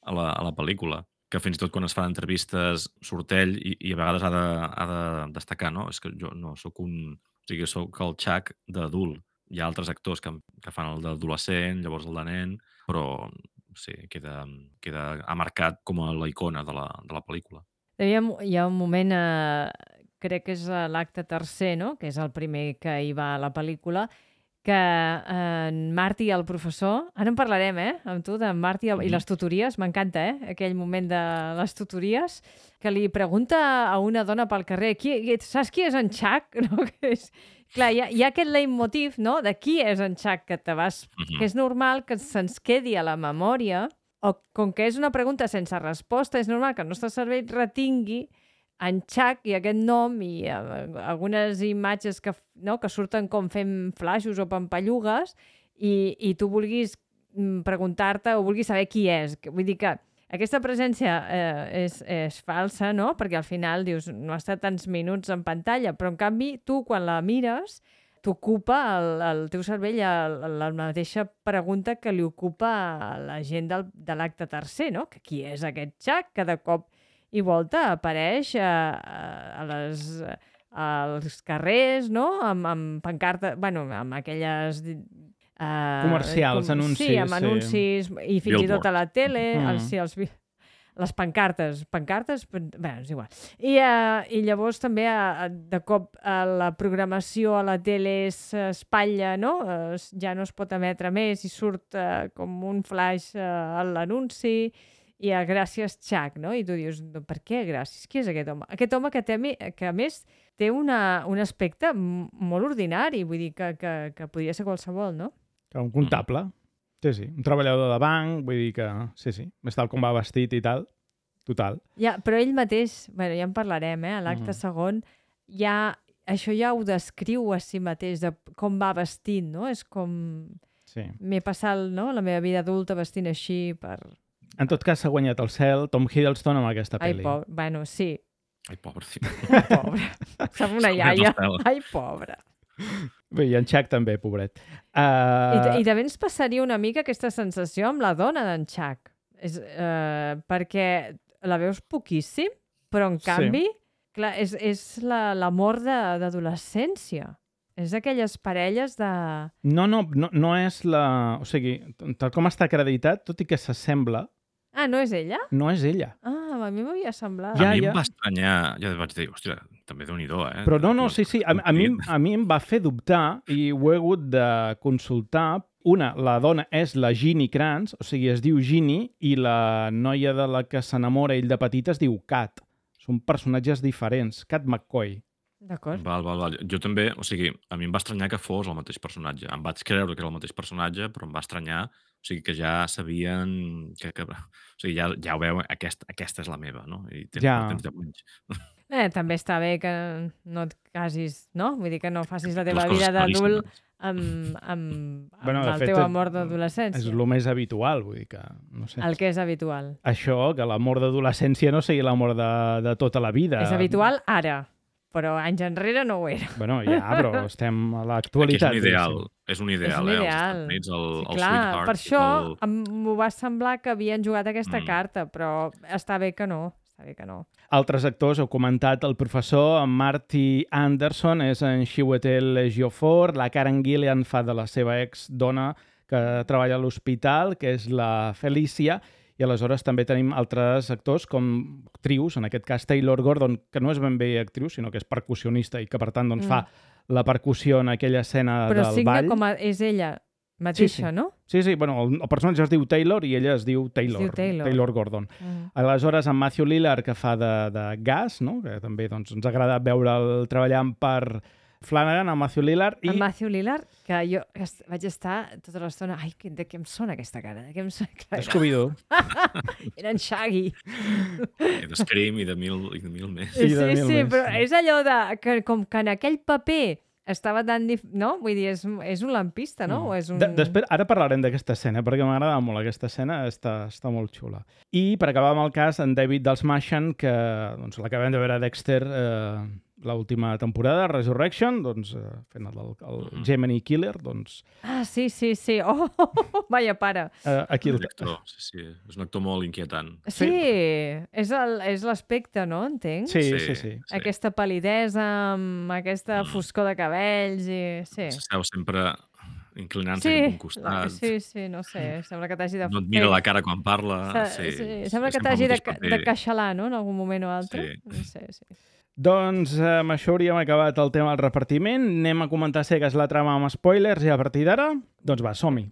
a la pel·lícula, que fins i tot quan es fan entrevistes surt ell i a vegades ha de destacar, no? És que jo no sóc o sigui, sóc el Chuck d'adult. Hi ha altres actors que fan el d'adolescent, llavors el de nen, però sí, queda marcat com a la icona de la pel·lícula. Hi ha un moment, crec que és a l'acte tercer, no? Que és el primer que hi va a la pel·lícula, que en Marty, el professor, ara en parlarem, amb tu, d'en Marty i les tutories, m'encanta, aquell moment de les tutories, que li pregunta a una dona pel carrer, saps qui és en Chuck? No? Clar, hi ha aquest leitmotiv, no?, de qui és en Chuck, que és normal que se'ns quedi a la memòria, o com que és una pregunta sense resposta, és normal que el nostre cervell retingui en Chuck i aquest nom i algunes imatges que surten com fent flaixos o pampallugues i tu vulguis preguntar-te o vulguis saber qui és. Vull dir que aquesta presència és falsa, no? Perquè al final dius, no ha estat tants minuts en pantalla, però en canvi tu quan la mires t'ocupa el teu cervell la mateixa pregunta que li ocupa a la gent de l'acte tercer, no? Que qui és aquest Chuck que de cop i volta apareix als carrers, no? Amb pancartes, bueno, amb aquelles... comercials, anuncis. Sí, amb anuncis i fins i tot a la tele. Les pancartes, bé, és igual. I llavors també de cop la programació a la tele s'espatlla, no? Ja no es pot emetre més i surt com un flash a l'anunci i gràcies Chuck, no? I tu dius, per què gràcies? Qui és aquest home? Aquest home que a més té un aspecte molt ordinari, vull dir que podria ser qualsevol, no? Un comptable. Sí, un treballador de banc, vull dir que sí, més tal com va vestit i tal, total. Ja, però ell mateix, bueno, ja en parlarem, a l'acte segon, això ja ho descriu a si mateix, de com va vestit, no? És com... Sí. M'he passat la meva vida adulta vestint així per... En tot cas, s'ha guanyat el cel Tom Hiddleston amb aquesta pel·li. Ai, pobre. Bueno, sí. Ai, pobre. Ai, pobre. Som una iaia. Ai, pobre. Bé, i en Chuck també, pobret. I també ens passaria una mica aquesta sensació amb la dona d'en Chuck. Perquè la veus poquíssim, però en canvi, clar, és l'amor d'adolescència. És d'aquelles parelles de... No és la... O sigui, tal com està acreditat, tot i que s'assembla... Ah, no és ella? No és ella. Ah, a mi m'havia semblat. A mi em va estranyar, ja vaig dir, hòstia, també Déu-n'hi-do, Però no, sí, a mi em va fer dubtar i ho he hagut de consultar. Una, la dona és la Ginny Kranz, o sigui, es diu Ginny, i la noia de la que s'enamora ell de petita es diu Kat. Són personatges diferents. Kat McCoy. D'acord. Val. Jo també, o sigui, a mi em va estranyar que fos el mateix personatge. Em vaig creure que era el mateix personatge, però em va estranyar, o sigui, que ja sabien o sigui, ja ho veu, aquesta és la meva, no? I tens 10 anys. També està bé que no et casis, no? Vull dir que no facis la teva vida d'adult amb el teu amor d'adolescència. És el més habitual, vull dir que... No sé. El que és habitual. Això, que l'amor d'adolescència no sigui l'amor de tota la vida. És habitual ara, però anys enrere no ho era. Bueno, ja, però estem a l'actualitat. És un ideal, als Estats Units, el sweetheart. Per això m'ho va semblar que havien jugat aquesta carta, però està bé que no. Altres actors, heu comentat, el professor, en Marty Anderson, és en Chiwetel Ejiofor, la Karen Gillan fa de la seva ex-dona que treballa a l'hospital, que és la Felicia, i aleshores també tenim altres actors com actrius, en aquest cas Taylor Gordon, que no és ben bé actriu, sinó que és percussionista i que per tant doncs, fa la percussió en aquella escena del ball. Però signa com és ella mateixa, no? Sí, bueno, el personatge es diu Taylor i ella es diu Taylor Gordon. Aleshores, en Matthew Lillard, que fa de Gas, no? Que també doncs, ens ha agradat veure'l treballant per Flanagan, en Matthew Lillard. En Matthew Lillard, que jo vaig estar tota l'estona... Ai, de què em sona aquesta cara? De què em sona? Scooby-Doo. Era en Shaggy. I de Scream i de mil més. Sí, però és allò que com que en aquell paper estava tan... No? Vull dir, és un lampista, no? O és un... Després, ara parlarem d'aquesta escena, perquè m'agrada molt aquesta escena, està molt xula. I per acabar amb el cas, en David Dastmalchian, que doncs, l'acabem de veure a Dexter, l'última temporada, Resurrection, doncs, fent el Gemini Killer, doncs... Ah, sí. Oh, vaya pare. Aquí És un actor molt inquietant. Sí, és l'aspecte, no? Entenc? Sí. Aquesta palidesa, amb aquesta foscor de cabells i... Sí. S'esteu sempre inclinant-se cap a un costat. Sí, no sé, sembla que t'hagi de... No et mira la cara quan parla. Sembla que t'hagi de queixalar, no?, en algun moment o altre. Sí. Doncs amb això hauríem acabat el tema del repartiment. Anem a comentar cegues la trama amb spoilers i a partir d'ara, doncs va, som-hi.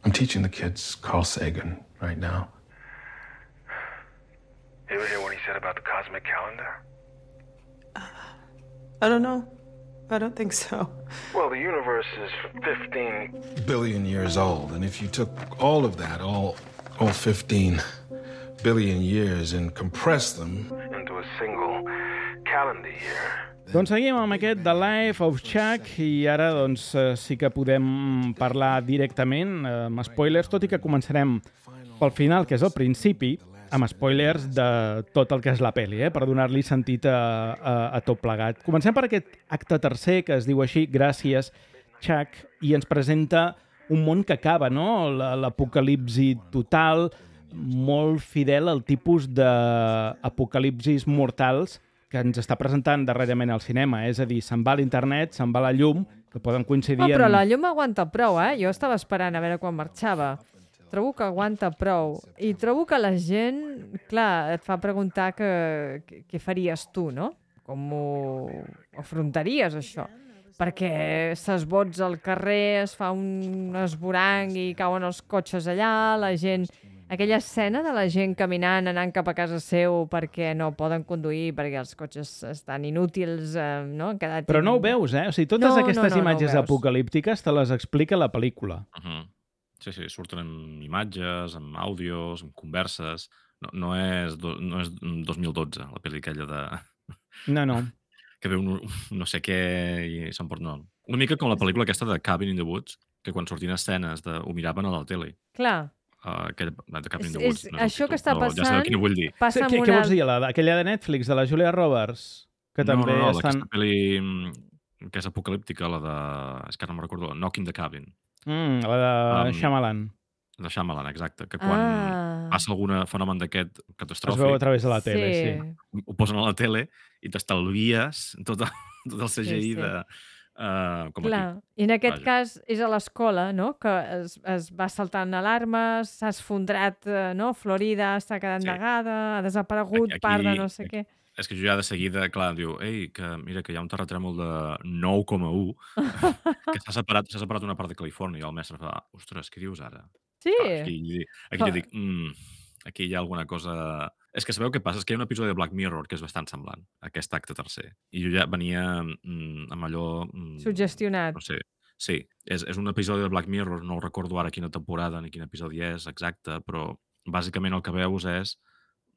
I'm teaching the kids Carl Sagan right now. You ever hear what he said about the cosmic calendar? I don't know. I don't think so. Well, the universe is 15 billion years old, and if you took all of that, all 15 billion years, and compressed them into a single calendar year. Doncs seguim amb aquest The Life of Chuck i ara doncs sí que podem parlar directament amb spoilers, tot i que començarem pel final, que és el principi, amb spoilers de tot el que és la pel·li, per donar-li sentit a tot plegat. Comencem per aquest acte tercer, que es diu així, Gràcies, Chuck, i ens presenta un món que acaba, no? L'apocalipsi total, molt fidel al tipus d'apocalipsis mortals que ens està presentant darrerament al cinema. És a dir, se'n va a l'internet, se'n va a la llum, que poden coincidir però la llum aguanta prou, Jo estava esperant a veure quan marxava. Trobo que aguanta prou. I trobo que la gent, clar, et fa preguntar què faries tu, no? Com ho afrontaries, això? Perquè s'esbots al carrer, es fa un esborang i cauen els cotxes allà, la gent... Aquella escena de la gent caminant, anant cap a casa seu perquè no poden conduir, perquè els cotxes estan inútils, no? Però no ho veus, O sigui, totes aquestes imatges apocalíptiques te les explica la pel·lícula. Sí, surten amb imatges, amb àudios, amb converses. No és 2012, la pel·li aquella de... No. Que veu no sé què i s'emporta... No. Una mica com la pel·lícula aquesta de Cabin in the Woods, que quan sortien escenes ho miraven a la tele. Clar. De Cabin in the Woods. Això que està passant... Ja sabeu quina vull dir. Què vols dir? Aquella de Netflix, de la Julia Roberts? Que també no, aquesta pel·li que és apocalíptica, la de... És que no me'n recordo, Knock in the Cabin. La de Shyamalan. De Shyamalan, exacte. Que quan passa algun fenomen d'aquest catastròfic... Es veu a través de la tele, sí. Ho posen a la tele i t'estalvies tot el CGI de... Clar, i en aquest cas és a l'escola, no?, que es va saltant alarmes, s'ha esfondrat, no?, Florida està quedant negada, ha desaparegut part de no sé què. És que jo ja de seguida, clar, diu, que mira que hi ha un terratrèmol de 9,1 que s'ha separat una part de Califòrnia, i el mestre fa, ostres, què dius ara? Sí. Aquí ja dic, aquí hi ha alguna cosa... És que sabeu què passa? És que hi ha un episodi de Black Mirror que és bastant semblant, aquest acte tercer. I jo ja venia amb allò... Suggestionat. No sé. Sí, és un episodi de Black Mirror, no recordo ara quina temporada ni quin episodi és exacte, però bàsicament el que veus és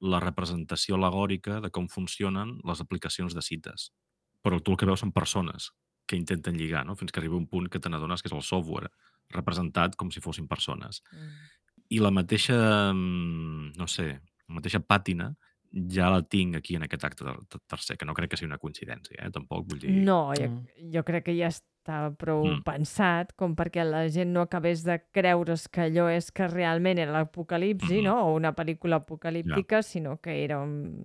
la representació al·legòrica de com funcionen les aplicacions de cites. Però tu el que veus són persones que intenten lligar, no? Fins que arriba un punt que te n'adones que és el software representat com si fossin persones. I la mateixa, no sé, la mateixa pàtina ja la tinc aquí en aquest acte tercer, que no crec que sigui una coincidència, tampoc vull dir... No, jo crec que ja estava prou pensat com perquè la gent no acabés de creure's que allò és que realment era l'apocalipsi, no? O una pel·lícula apocalíptica, sinó que era un...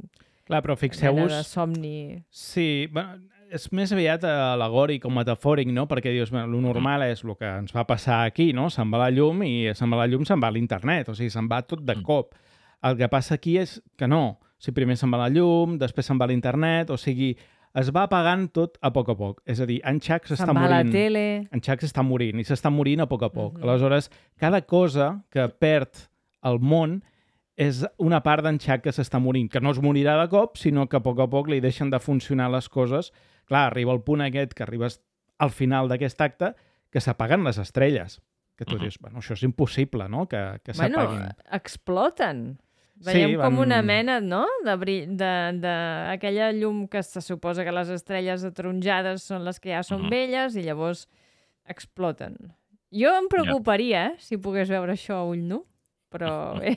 Clar, però fixeu-vos... Mena de somni... Sí, és més aviat al·legòric o metafòric, no? Perquè dius, el normal és el que ens va passar aquí, no? Se'n va la llum i se'n va la llum, se'n va a l'internet, o sigui, se'n va tot de cop. El que passa aquí és que no. O sigui, primer se'n va la llum, després se'n va a l'internet, o sigui, es va apagant tot a poc. És a dir, en Chuck s'està morint. Se'n va a la tele. En Chuck s'està morint i s'està morint a poc. Aleshores, cada cosa que perd el món és una part d'en Chuck que s'està morint, que no es morirà de cop, sinó que a poc li deixen de funcionar les coses. Clar, arriba el punt aquest, que arribes al final d'aquest acte, que s'apaguen les estrelles. Que tu dius, bueno, això és impossible, no?, que s'apaguin. Bueno, exploten. Veiem com una mena, no?, d'aquella llum que se suposa que les estrelles ataronjades són les que ja són velles i llavors exploten. Jo em preocuparia, si pogués veure això a ull nu, però bé.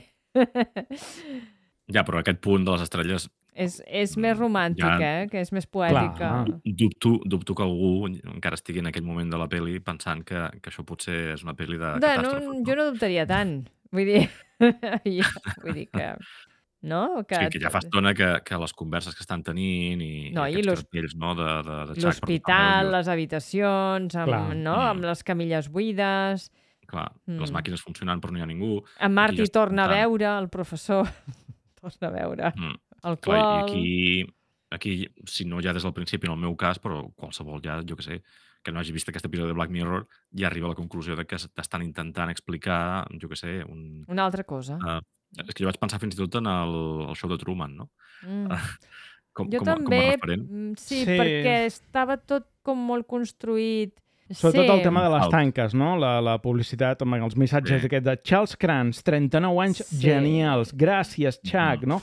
Ja, però aquest punt de les estrelles És més romàntic, que és més poètica. Dubto que algú encara estigui en aquell moment de la pel·li pensant que això potser és una pel·li de catàstrofe. Jo no dubtaria tant. Vull dir que... No? Que ja fa estona que les converses que estan tenint i aquests cartells de Chuck... L'hospital, les habitacions, amb les camilles buides... Clar, les màquines funcionant però no hi ha ningú. En Marty torna a veure, el professor torna a veure el qual... Aquí, si no ja des del principi, en el meu cas, però qualsevol ja, jo que sé, que no hagi vist aquest episodi de Black Mirror, ja arriba a la conclusió de que t'estan intentant explicar, jo que sé... Una altra cosa. És que jo vaig pensar fins i tot en el show de Truman, no? Jo també, sí, perquè estava tot com molt construït. Sobretot el tema de les tanques, no? La publicitat, els missatges d'aquest de Charles Kranz, 39 anys, genials, gràcies, Chuck, no?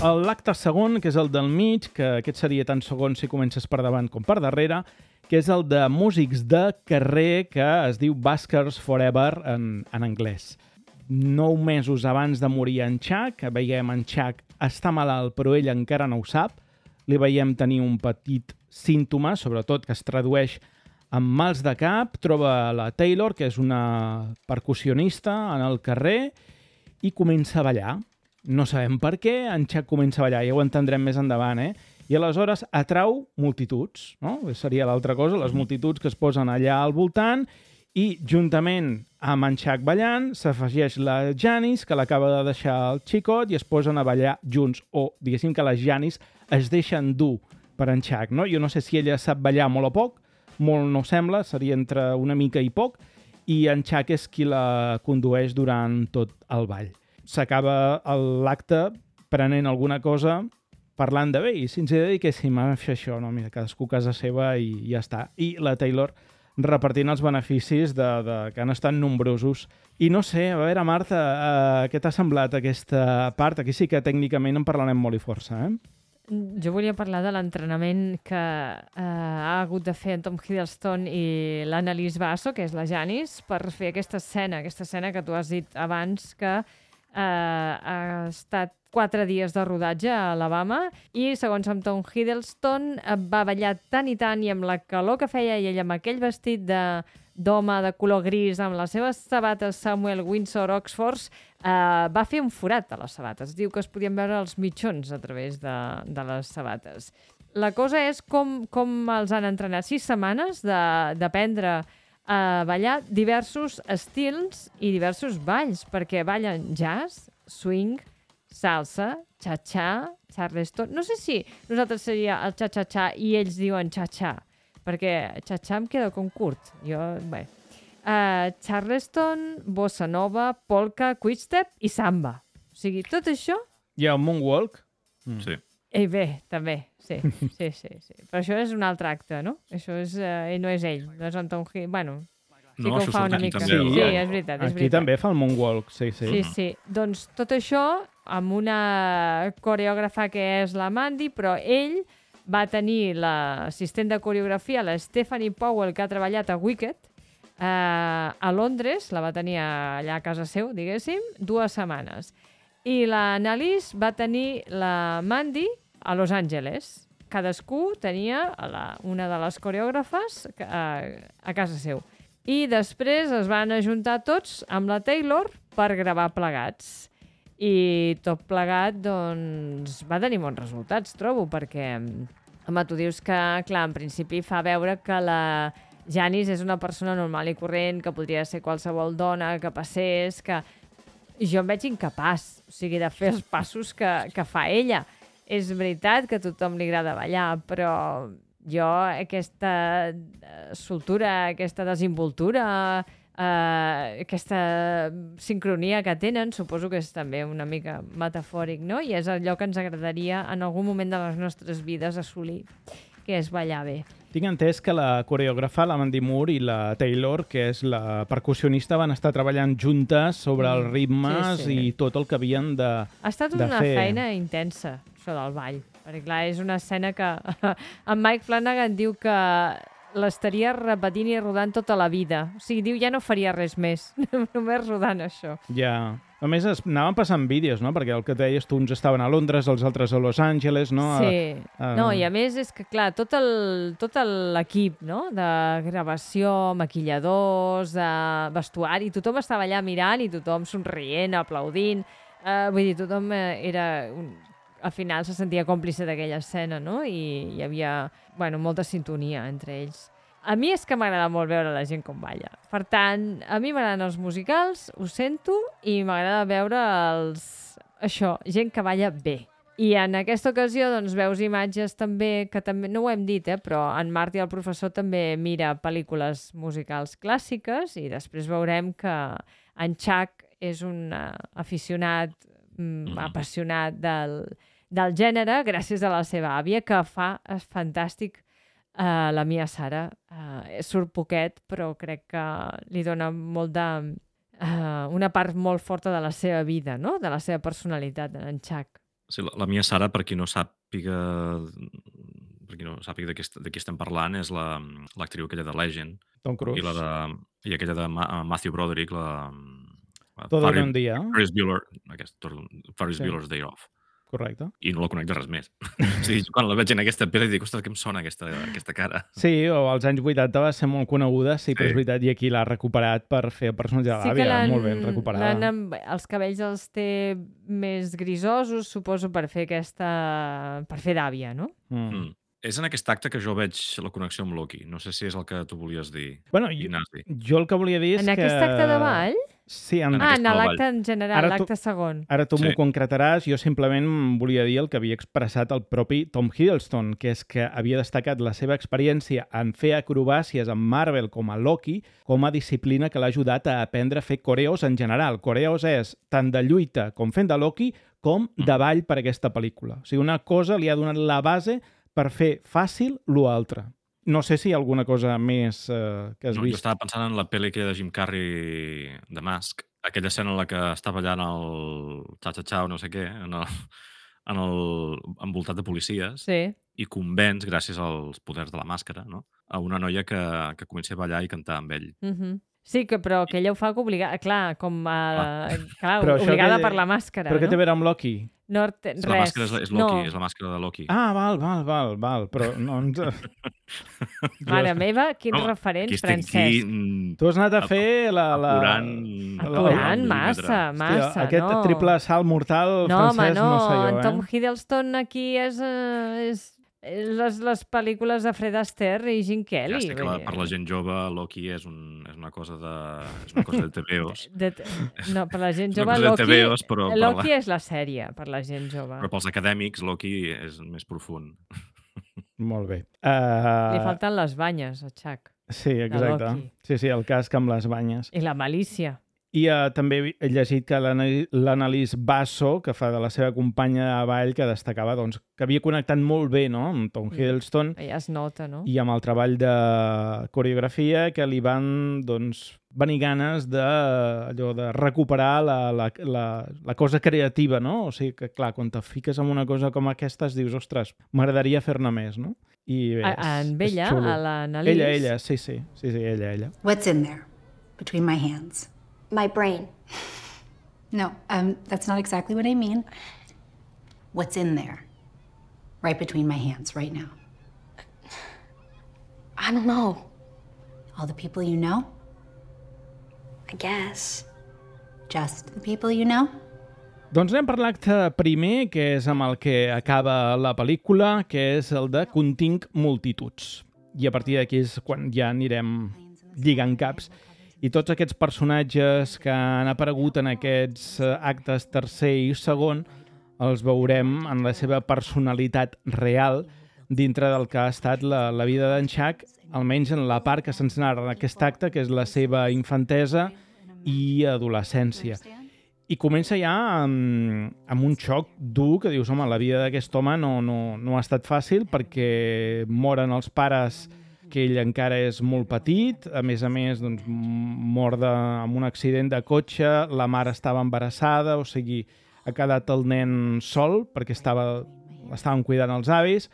L'acte segon, que és el del mig, que aquest seria tant segon si comences per davant com per darrere, que és el de músics de carrer que es diu Buskers Forever en anglès. 9 mesos abans de morir en Chuck, veiem en Chuck està malalt però ell encara no ho sap, li veiem tenir un petit símptoma, sobretot que es tradueix en mals de cap, troba la Taylor, que és una percussionista en el carrer, i comença a ballar. No sabem per què, en Chuck comença a ballar, ja ho entendrem més endavant, I aleshores atrau multituds, no? Seria l'altra cosa, les multituds que es posen allà al voltant i juntament amb en Chuck ballant s'afegeix la Janice, que l'acaba de deixar el xicot, i es posen a ballar junts, o diguéssim que les Janice es deixen dur per en Chuck, no? Jo no sé si ella sap ballar molt o poc, molt no sembla, seria entre una mica i poc, i en Chuck és qui la condueix durant tot el ball. S'acaba l'acte prenent alguna cosa, parlant de bé, i si ens dediquéssim a fer això, no? Mira, cadascú a casa seva i ja està. I la Taylor repartint els beneficis que han estat nombrosos. I no sé, a veure, Marta, què t'ha semblat aquesta part? Aquí sí que tècnicament en parlarem molt i força, Jo volia parlar de l'entrenament que ha hagut de fer en Tom Hiddleston i l'Annalise Basso, que és la Janice, per fer aquesta escena que tu has dit abans, que ha estat 4 dies de rodatge a Alabama i, segons amb Tom Hiddleston, va ballar tant i tant, i amb la calor que feia i ell amb aquell vestit d'home de color gris, amb les seves sabates Samuel Windsor Oxfords, va fer un forat a les sabates. Diu que es podien veure els mitjons a través de les sabates. La cosa és com els han entrenat 6 setmanes d'aprendre a ballar diversos estils i diversos balls, perquè ballen jazz, swing, salsa, cha-cha, charleston... No sé si nosaltres seria el cha-cha-cha i ells diuen cha-cha, perquè cha-cha em queda com curt. Charleston, bossa nova, polka, quickstep i samba. O sigui, tot això... Hi ha un moonwalk? Sí. Bé, també, sí. Però això és un altre acte, no? Això no és ell, no és Anton Hill. Bueno, sí que ho fa una mica. Sí, és veritat. Aquí també fa el moonwalk, sí. Sí. Doncs tot això amb una coreògrafa que és la Mandy, però ell va tenir l'assistent de coreografia, la Stephanie Powell, que ha treballat a Wicked, a Londres, la va tenir allà a casa seu, diguéssim, 2 setmanes. I l'Annalise va tenir la Mandy a Los Angeles. Cadascú tenia una de les coreògrafes a casa seu. I després es van ajuntar tots amb la Taylor per gravar plegats. I tot plegat, doncs, va tenir bons resultats, trobo, perquè, home, tu dius que, clar, en principi fa veure que la Janice és una persona normal i corrent, que podria ser qualsevol dona que passés, que jo em veig incapaç, o sigui, de fer els passos que fa ella. És veritat que a tothom li agrada ballar, però jo aquesta soltura, aquesta desimboltura, aquesta sincronia que tenen, suposo que és també una mica metafòric, no? I és allò que ens agradaria en algun moment de les nostres vides assolir. que és ballar bé. Tinc entès que la coreògrafa, la Mandy Moore, i la Taylor, que és la percussionista, van estar treballant juntes sobre els ritmes sí. i tot el que havien de Ha estat de una fer. feina intensa, això del ball. Perquè, clar, és una escena que en Mike Flanagan diu que l'estaria repetint i rodant tota la vida. O sigui, diu, ja no faria res més, només rodant això. Ja. A més, anaven passant vídeos, no? Perquè el que deies, tu, uns estaven a Londres, els altres a Los Angeles, no? Sí. No, i a més és que, clar, tot l'equip, no?, de gravació, maquilladors, vestuari, tothom estava allà mirant i tothom somrient, aplaudint. Vull dir, tothom al final se sentia còmplice d'aquella escena, no? I hi havia, molta sintonia entre ells. A mi és que m'agrada molt veure la gent com balla. Per tant, a mi m'agraden els musicals, ho sento, i m'agrada veure gent que balla bé. I en aquesta ocasió doncs, veus imatges també, que també, no ho hem dit, però en Marty, el professor, també mira pel·lícules musicals clàssiques i després veurem que en Chuck és un aficionat, apassionat del gènere gràcies a la seva àvia, que fa fantàstic la Mia Sara. Surt poquet, però crec que li dona una part molt forta de la seva vida, no?, de la seva personalitat, en Chuck. Sí, la Mia Sara, per qui no sàpiga de qui estem parlant, és l'actriu aquella de Legend. Tom Cruise. I aquella de Matthew Broderick, Todo en un dia. Ferris Bueller's Day Off. Correcte. I no la conec de res més. O sigui, quan la veig en aquesta pel·li dic, ostres, que em sona aquesta cara. Sí, o als anys 80 va ser molt coneguda, sí, però és veritat, i aquí l'ha recuperat per fer el personatge de l'àvia, molt ben recuperada. Els cabells els té més grisosos, suposo, per fer d'àvia, no? És en aquest acte que jo veig la connexió amb Loki. No sé si és el que tu volies dir, Ignasi. Jo el que volia dir és que... En aquest acte de ball? Sí, en l'acte en general, l'acte segon. Ara tu m'ho concretaràs. Jo simplement volia dir el que havia expressat el propi Tom Hiddleston, que és que havia destacat la seva experiència en fer acrobàcies amb Marvel com a Loki com a disciplina que l'ha ajudat a aprendre a fer coreos en general. Coreos és tant de lluita com fent de Loki com de ball per aquesta pel·lícula. O sigui, una cosa li ha donat la base per fer fàcil l'altre. No sé si hi ha alguna cosa més que has vist. Jo estava pensant en la pel·li que de Jim Carrey, The Mask, aquella escena en la que està ballant el cha-cha-cha o no sé què, envoltat de policies, i convenç, gràcies als poders de la màscara, no?, a una noia que comença a ballar i cantar amb ell. Sí, però que ella ho fa obligada, clar, obligada per la màscara. Però què té a veure amb Loki? No, res. La màscara és Loki, és la màscara de Loki. Val, però no ens... Mare meva, quins referents, Francesc. Tu has anat a fer Apurant massa, no? Aquest triple salt mortal, Francesc, no sé jo, en Tom Hiddleston aquí és les pel·lícules de Fred Astaire i Gene Kelly. Ja sé que per la gent jove Loki és una cosa de TVOs. No, per la gent jove Loki és la sèrie, per la gent jove. Però pels acadèmics Loki és més profund. Molt bé. Li falten les banyes, a Chuck. Sí, exacte. Sí, el casc amb les banyes. I la malícia. I també he llegit que l'Annalise Basso, que fa de la seva companya de ball, que destacava que havia connectat molt bé, no?, amb Tom Hiddleston. Ja es nota, no? I amb el treball de coreografia, que li van venir ganes de recuperar la cosa creativa, no? O sigui que, clar, quan te fiques en una cosa com aquesta, dius, ostres, m'agradaria fer-ne més, no? I bé, en ella, a l'Annalise... Ella, sí, ella. What's in there, between my hands? My brain. No, that's not exactly what I mean. What's in there? Right between my hands, right now. I don't know. All the people you know? I guess. Just the people you know? Doncs anem per l'acte primer, que és amb el que acaba la pel·lícula, que és el de Continc multituds. I a partir d'aquí és quan ja anirem lligant caps. I tots aquests personatges que han aparegut en aquests actes tercer i segon els veurem en la seva personalitat real dintre del que ha estat la vida d'en Chuck, almenys en la part que se'ns narra en aquest acte, que és la seva infantesa i adolescència. I comença ja amb un xoc dur que dius, home, la vida d'aquest home no ha estat fàcil perquè moren els pares, que ell encara és molt petit, a més, doncs, mor amb un accident de cotxe, la mare estava embarassada, o sigui, ha quedat el nen sol perquè estaven cuidant els avis.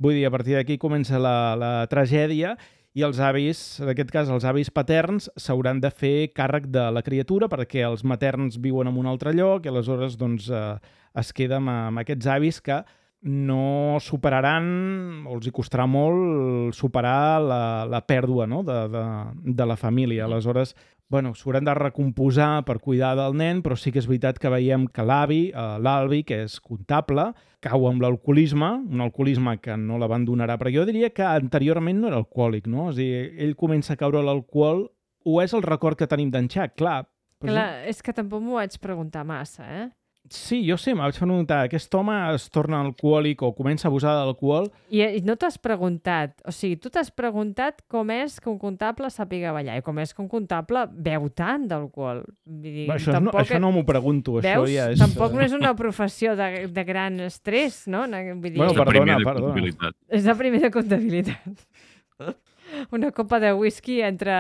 Vull dir, a partir d'aquí comença la tragèdia i els avis, en aquest cas els avis paterns, s'hauran de fer càrrec de la criatura perquè els materns viuen en un altre lloc i aleshores doncs, es queda amb aquests avis que no superaran, o els hi costarà molt superar la pèrdua, no? de la família. Aleshores, s'hauran de recomposar per cuidar del nen, però sí que és veritat que veiem que l'Albi, que és comptable, cau amb l'alcoholisme, un alcoholisme que no l'abandonarà, però jo diria que anteriorment no era alcohòlic, no? És a dir, ell comença a caure a l'alcohol, o és el record que tenim d'en Chuck, clar. Clar, és que tampoc m'ho vaig preguntar massa, eh? Sí, jo sé, m'ho vaig preguntar, aquest home es torna alcohòlic o comença a abusar de l'alcohol. I no t'has preguntat, o sigui, tu t'has preguntat com és que un comptable sàpiga ballar i com és que un comptable beu tant d'alcohol. Això no m'ho pregunto. Veus? Això ja és... Tampoc no és una professió de gran estrès, no? Vull dir... Perdona. És la primera comptabilitat. Una copa de whisky entre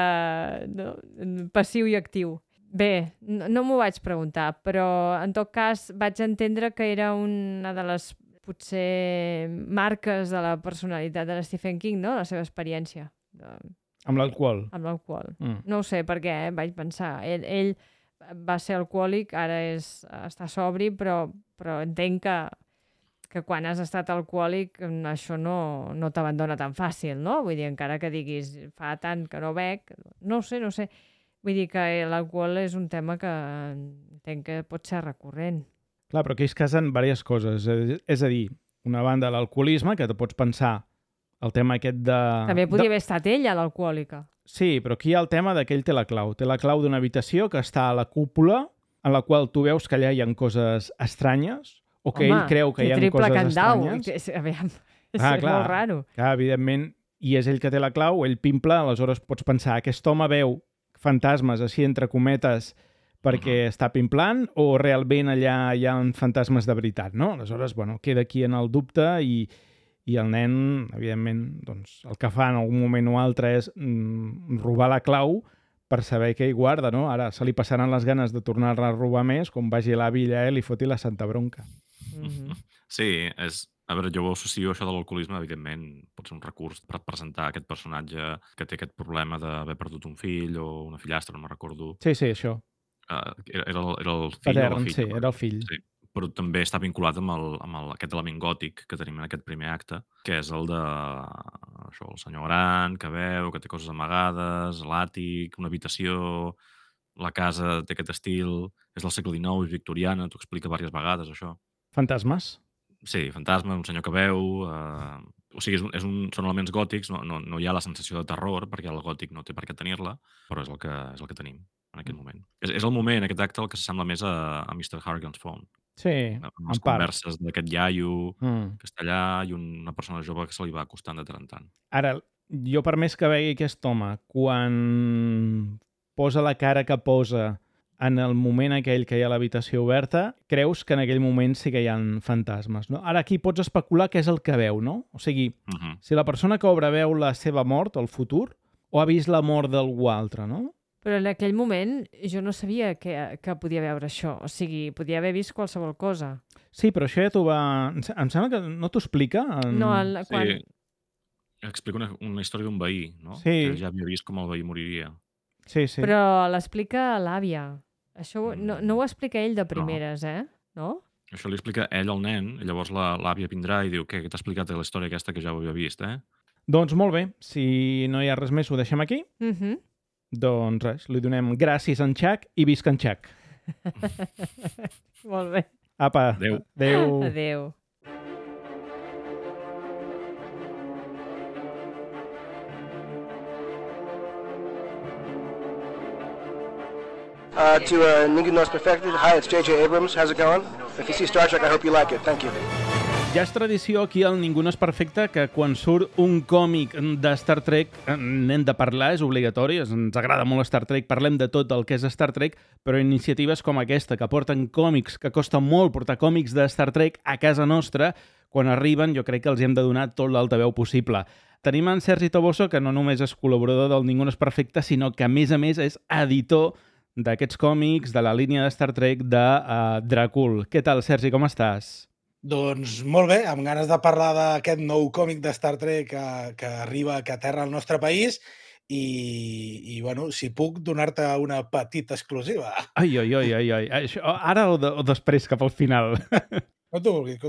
passiu i actiu. Bé, no m'ho vaig preguntar, però en tot cas vaig entendre que era una de les, potser, marques de la personalitat de Stephen King, no? La seva experiència. Amb l'alcohol? Amb l'alcohol. No ho sé per què, vaig pensar. Ell va ser alcohòlic, ara està sobri, però entenc que quan has estat alcohòlic això no t'abandona tan fàcil, no? Vull dir, encara que diguis fa tant que no bec, no sé. Vull dir que l'alcohol és un tema que entenc que pot ser recurrent. Clar, però aquí es casen diverses coses. És a dir, una banda l'alcoholisme, que te pots pensar el tema aquest de... També podria haver estat ella, l'alcohòlica. Sí, però aquí hi ha el tema que ell té la clau. Té la clau d'una habitació que està a la cúpula, en la qual tu veus que allà hi ha coses estranyes, o que ell creu que hi ha coses estranyes. És molt raro. Clar, evidentment, i és ell que té la clau, ell pimpla, aleshores pots pensar, aquest home veu fantasmes, així entre cometes, perquè està pimplant, o realment allà hi ha fantasmes de veritat, no? Aleshores, queda aquí en el dubte i el nen, evidentment, doncs, el que fa en algun moment o altre és robar la clau per saber què hi guarda, no? Ara se li passaran les ganes de tornar-la a robar més, com vagi a l'avi allà i li foti la santa bronca. Sí, a veure, jo ho associo això de l'alcoholisme, evidentment, pot ser un recurs per presentar aquest personatge que té aquest problema d'haver perdut un fill o una fillastra, no me'n recordo. Sí, això. Era el fill Patern, o la filla? Sí, era el fill. Sí, però també està vinculat amb aquest element gòtic que tenim en aquest primer acte, que és el de el senyor gran, que veu, que té coses amagades, l'àtic, una habitació, la casa té aquest estil, és del segle XIX, és victoriana, t'ho explica diverses vegades, això. Fantasmes? Sí, fantasma, un senyor que veu... O sigui, són elements gòtics, no hi ha la sensació de terror, perquè el gòtic no té per què tenir-la, però és el que tenim en aquest moment. És el moment, aquest acte, el que s'assembla més a Mr. Harrigan's Phone. Sí, amb les converses d'aquest iaio que està allà i una persona jove que se li va acostant de tant en tant. Ara, jo per més que vegi aquest home, quan posa la cara que posa en el moment aquell que hi ha l'habitació oberta, creus que en aquell moment sí que hi ha fantasmes, no? Ara aquí pots especular què és el que veu, no? O sigui, si la persona que obre veu la seva mort, el futur, o ha vist la mort d'algú altre, no? Però en aquell moment jo no sabia que podia veure això. O sigui, podia haver vist qualsevol cosa. Sí, però això ja t'ho va... Em sembla que no t'ho explica? No, quan... Sí, explica una història d'un veí, no? Sí. Que ja havia vist com el veí moriria. Sí. Però l'explica l'àvia. Això no ho explica ell de primeres, no? Això li explica ell al nen, i llavors l'àvia vindrà i diu, què t'ha explicat la història aquesta que ja ho havia vist, Doncs molt bé, si no hi ha res més ho deixem aquí. Doncs res, li donem gràcies a en Chuck i visca en Chuck. Molt bé. Apa, adéu. Adéu. To Ningú Nos Perfected, hi, it's J.J. Abrams. How's it going? If you see Star Trek, I hope you like it. Thank you. Ja és tradició aquí al Ningú no és perfecte que quan surt un còmic de Star Trek n'hem de parlar, és obligatori, ens agrada molt Star Trek, parlem de tot el que és Star Trek, però iniciatives com aquesta, que porten còmics, que costa molt portar còmics de Star Trek a casa nostra, quan arriben jo crec que els hem de donar tot l'altaveu possible. Tenim en Sergi Toboso, que no només és col·laborador del Ningú no és perfecte, sinó que a més és editor d'aquests còmics, de la línia de Star Trek de Dràcul. Què tal, Sergi, com estàs? Doncs molt bé, amb ganes de parlar d'aquest nou còmic de Star Trek que arriba, que aterra al nostre país i bueno, si puc donar-te una petita exclusiva. Ai. Això, ara o després, cap al final? Com tu vulguis.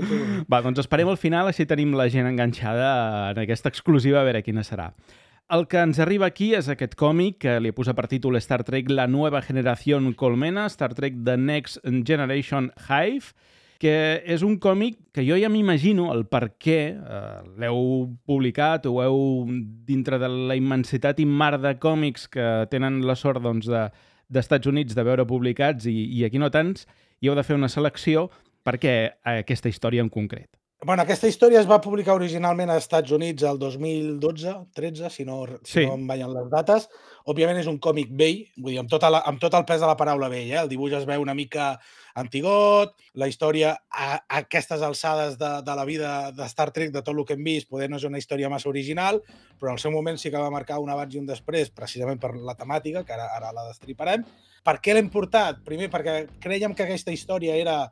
Va, doncs esperem al final, així tenim la gent enganxada en aquesta exclusiva, a veure quina serà. El que ens arriba aquí és aquest còmic que li posa per títol Star Trek La Nueva Generación Colmena, Star Trek The Next Generation Hive, que és un còmic que jo ja m'imagino el per què l'heu publicat o heu, dintre de la immensitat i mar de còmics que tenen la sort d'Estats Units de veure publicats i aquí no tants, i heu de fer una selecció per què aquesta història en concret. Bueno, aquesta història es va publicar originalment als Estats Units el 2012-13, si no em ballen les dates. Òbviament és un còmic vell, vull dir, amb tot el pes de la paraula vell. El dibuix es veu una mica antigot, la història a aquestes alçades de la vida de Star Trek, de tot el que hem vist, poder no és una història massa original, però al seu moment sí que va marcar un abans i un després, precisament per la temàtica, que ara la destriparem. Per què l'hem portat? Primer, perquè crèiem que aquesta història era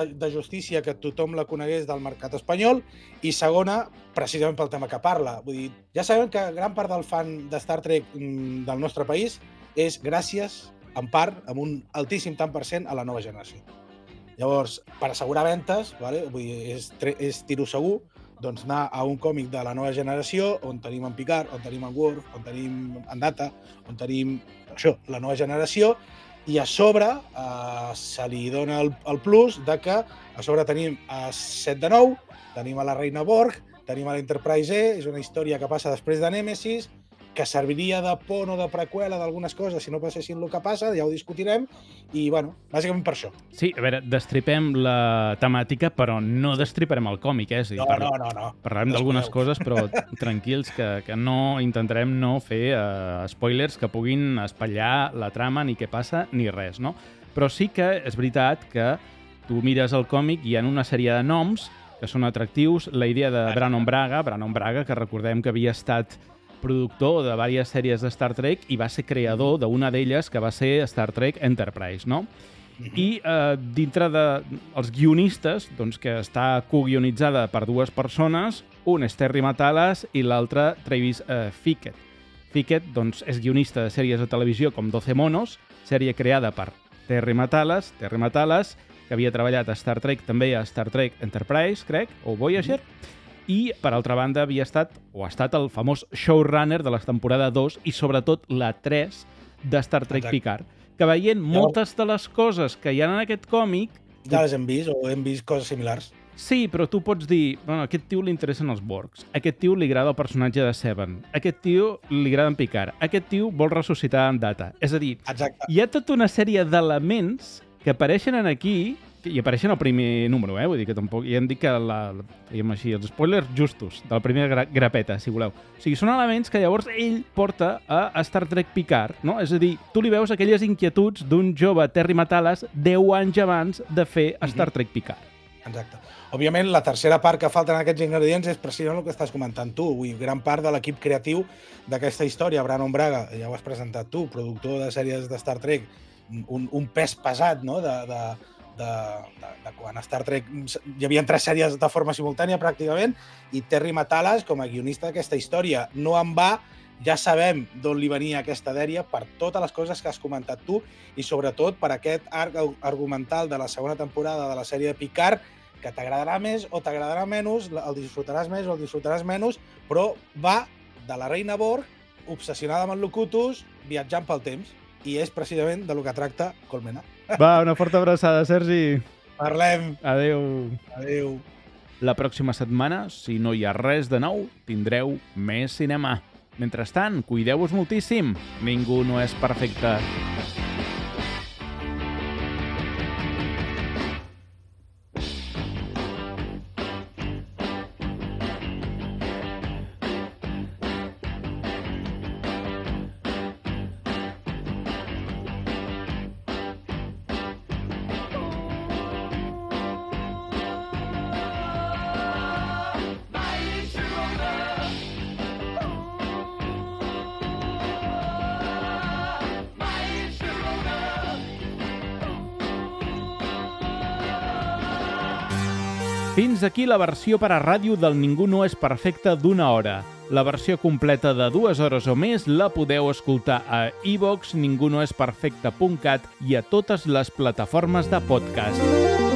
de justícia que tothom la conegués del mercat espanyol, i segona, precisament pel tema que parla. Vull dir, ja sabem que gran part del fan de Star Trek del nostre país és gràcies, en part, amb un altíssim tant per cent, a la nova generació. Llavors, per assegurar ventes, vale? Vull dir, és tiro segur, doncs anar a un còmic de la nova generació on tenim en Picard, on tenim en Worf, on tenim en Data, on tenim això, la nova generació, i a sobre se li dona el plus de que a sobre tenim a 7 de 9, tenim a la Reina Borg, tenim a l'Enterprise E, és una història que passa després de Nèmesis, que serviria de pont o de preqüela d'algunes coses si no passessin el que passa, ja ho discutirem, i, bueno, bàsicament per això. Sí, a veure, destripem la temàtica, però no destriparem el còmic, eh? No. Parlarem d'algunes coses, però tranquils, que no intentarem no fer spoilers que puguin espatllar la trama, ni què passa, ni res, no? Però sí que és veritat que tu mires el còmic i hi ha una sèrie de noms que són atractius. La idea de Brannon Braga, que recordem que havia estat productor de diverses sèries de Star Trek i va ser creador d'una d'elles que va ser Star Trek Enterprise, no? I dintre dels guionistes, doncs, que està coguionitzada per dues persones, un és Terry Matalas i l'altre Travis Fickett. Fickett, doncs, és guionista de sèries de televisió com 12 monos, sèrie creada per Terry Matalas, que havia treballat a Star Trek, també a Star Trek Enterprise, crec, o Voyager, i, per altra banda, ha estat el famós showrunner de la temporada 2 i, sobretot, la 3 de Star Trek Picard, que veient moltes de les coses que hi ha en aquest còmic... Ja les hem vist, o hem vist coses similars. Sí, però tu pots dir, bueno, a aquest tio li interessen els Borgs, a aquest tio li agrada el personatge de Seven, a aquest tio li agrada en Picard, a aquest tio vol ressuscitar en Data. És a dir, hi ha tota una sèrie d'elements que apareixen aquí i apareixen al primer número, vull dir que tampoc... Ja hem dit que diguem així, els spoilers justos de la primera grapeta, si voleu. O sigui, són elements que llavors ell porta a Star Trek Picard, no? És a dir, tu li veus aquelles inquietuds d'un jove Terry Matalas 10 anys abans de fer Star Trek Picard. Exacte. Òbviament, la tercera part que falten aquests ingredients és precisament el que estàs comentant tu. Vull dir, gran part de l'equip creatiu d'aquesta història, Brannon Braga, ja ho has presentat tu, productor de sèries de Star Trek, un pes pesat, no?, de quan a Star Trek hi havia 3 sèries de forma simultània, pràcticament, i Terry Matalas, com a guionista d'aquesta història. No en va, ja sabem d'on li venia aquesta dèria per totes les coses que has comentat tu i, sobretot, per aquest arc argumental de la segona temporada de la sèrie de Picard, que t'agradarà més o t'agradarà menys, el disfrutaràs més o el disfrutaràs menys, però va de la Reina Borg, obsessionada amb el Locutus, viatjant pel temps, i és precisament de lo que tracta Colmena. Va, una forta abraçada, Sergi. Parlem. Adéu. La pròxima setmana, si no hi ha res de nou, tindreu més cinema. Mentrestant, cuideu-vos moltíssim. Ningú no és perfecte. Fins aquí la versió per a ràdio del Ningú no és perfecte d'1 hora. La versió completa de 2 hores o més la podeu escoltar a iVoox, ningunoesperfecte.cat i a totes les plataformes de podcast.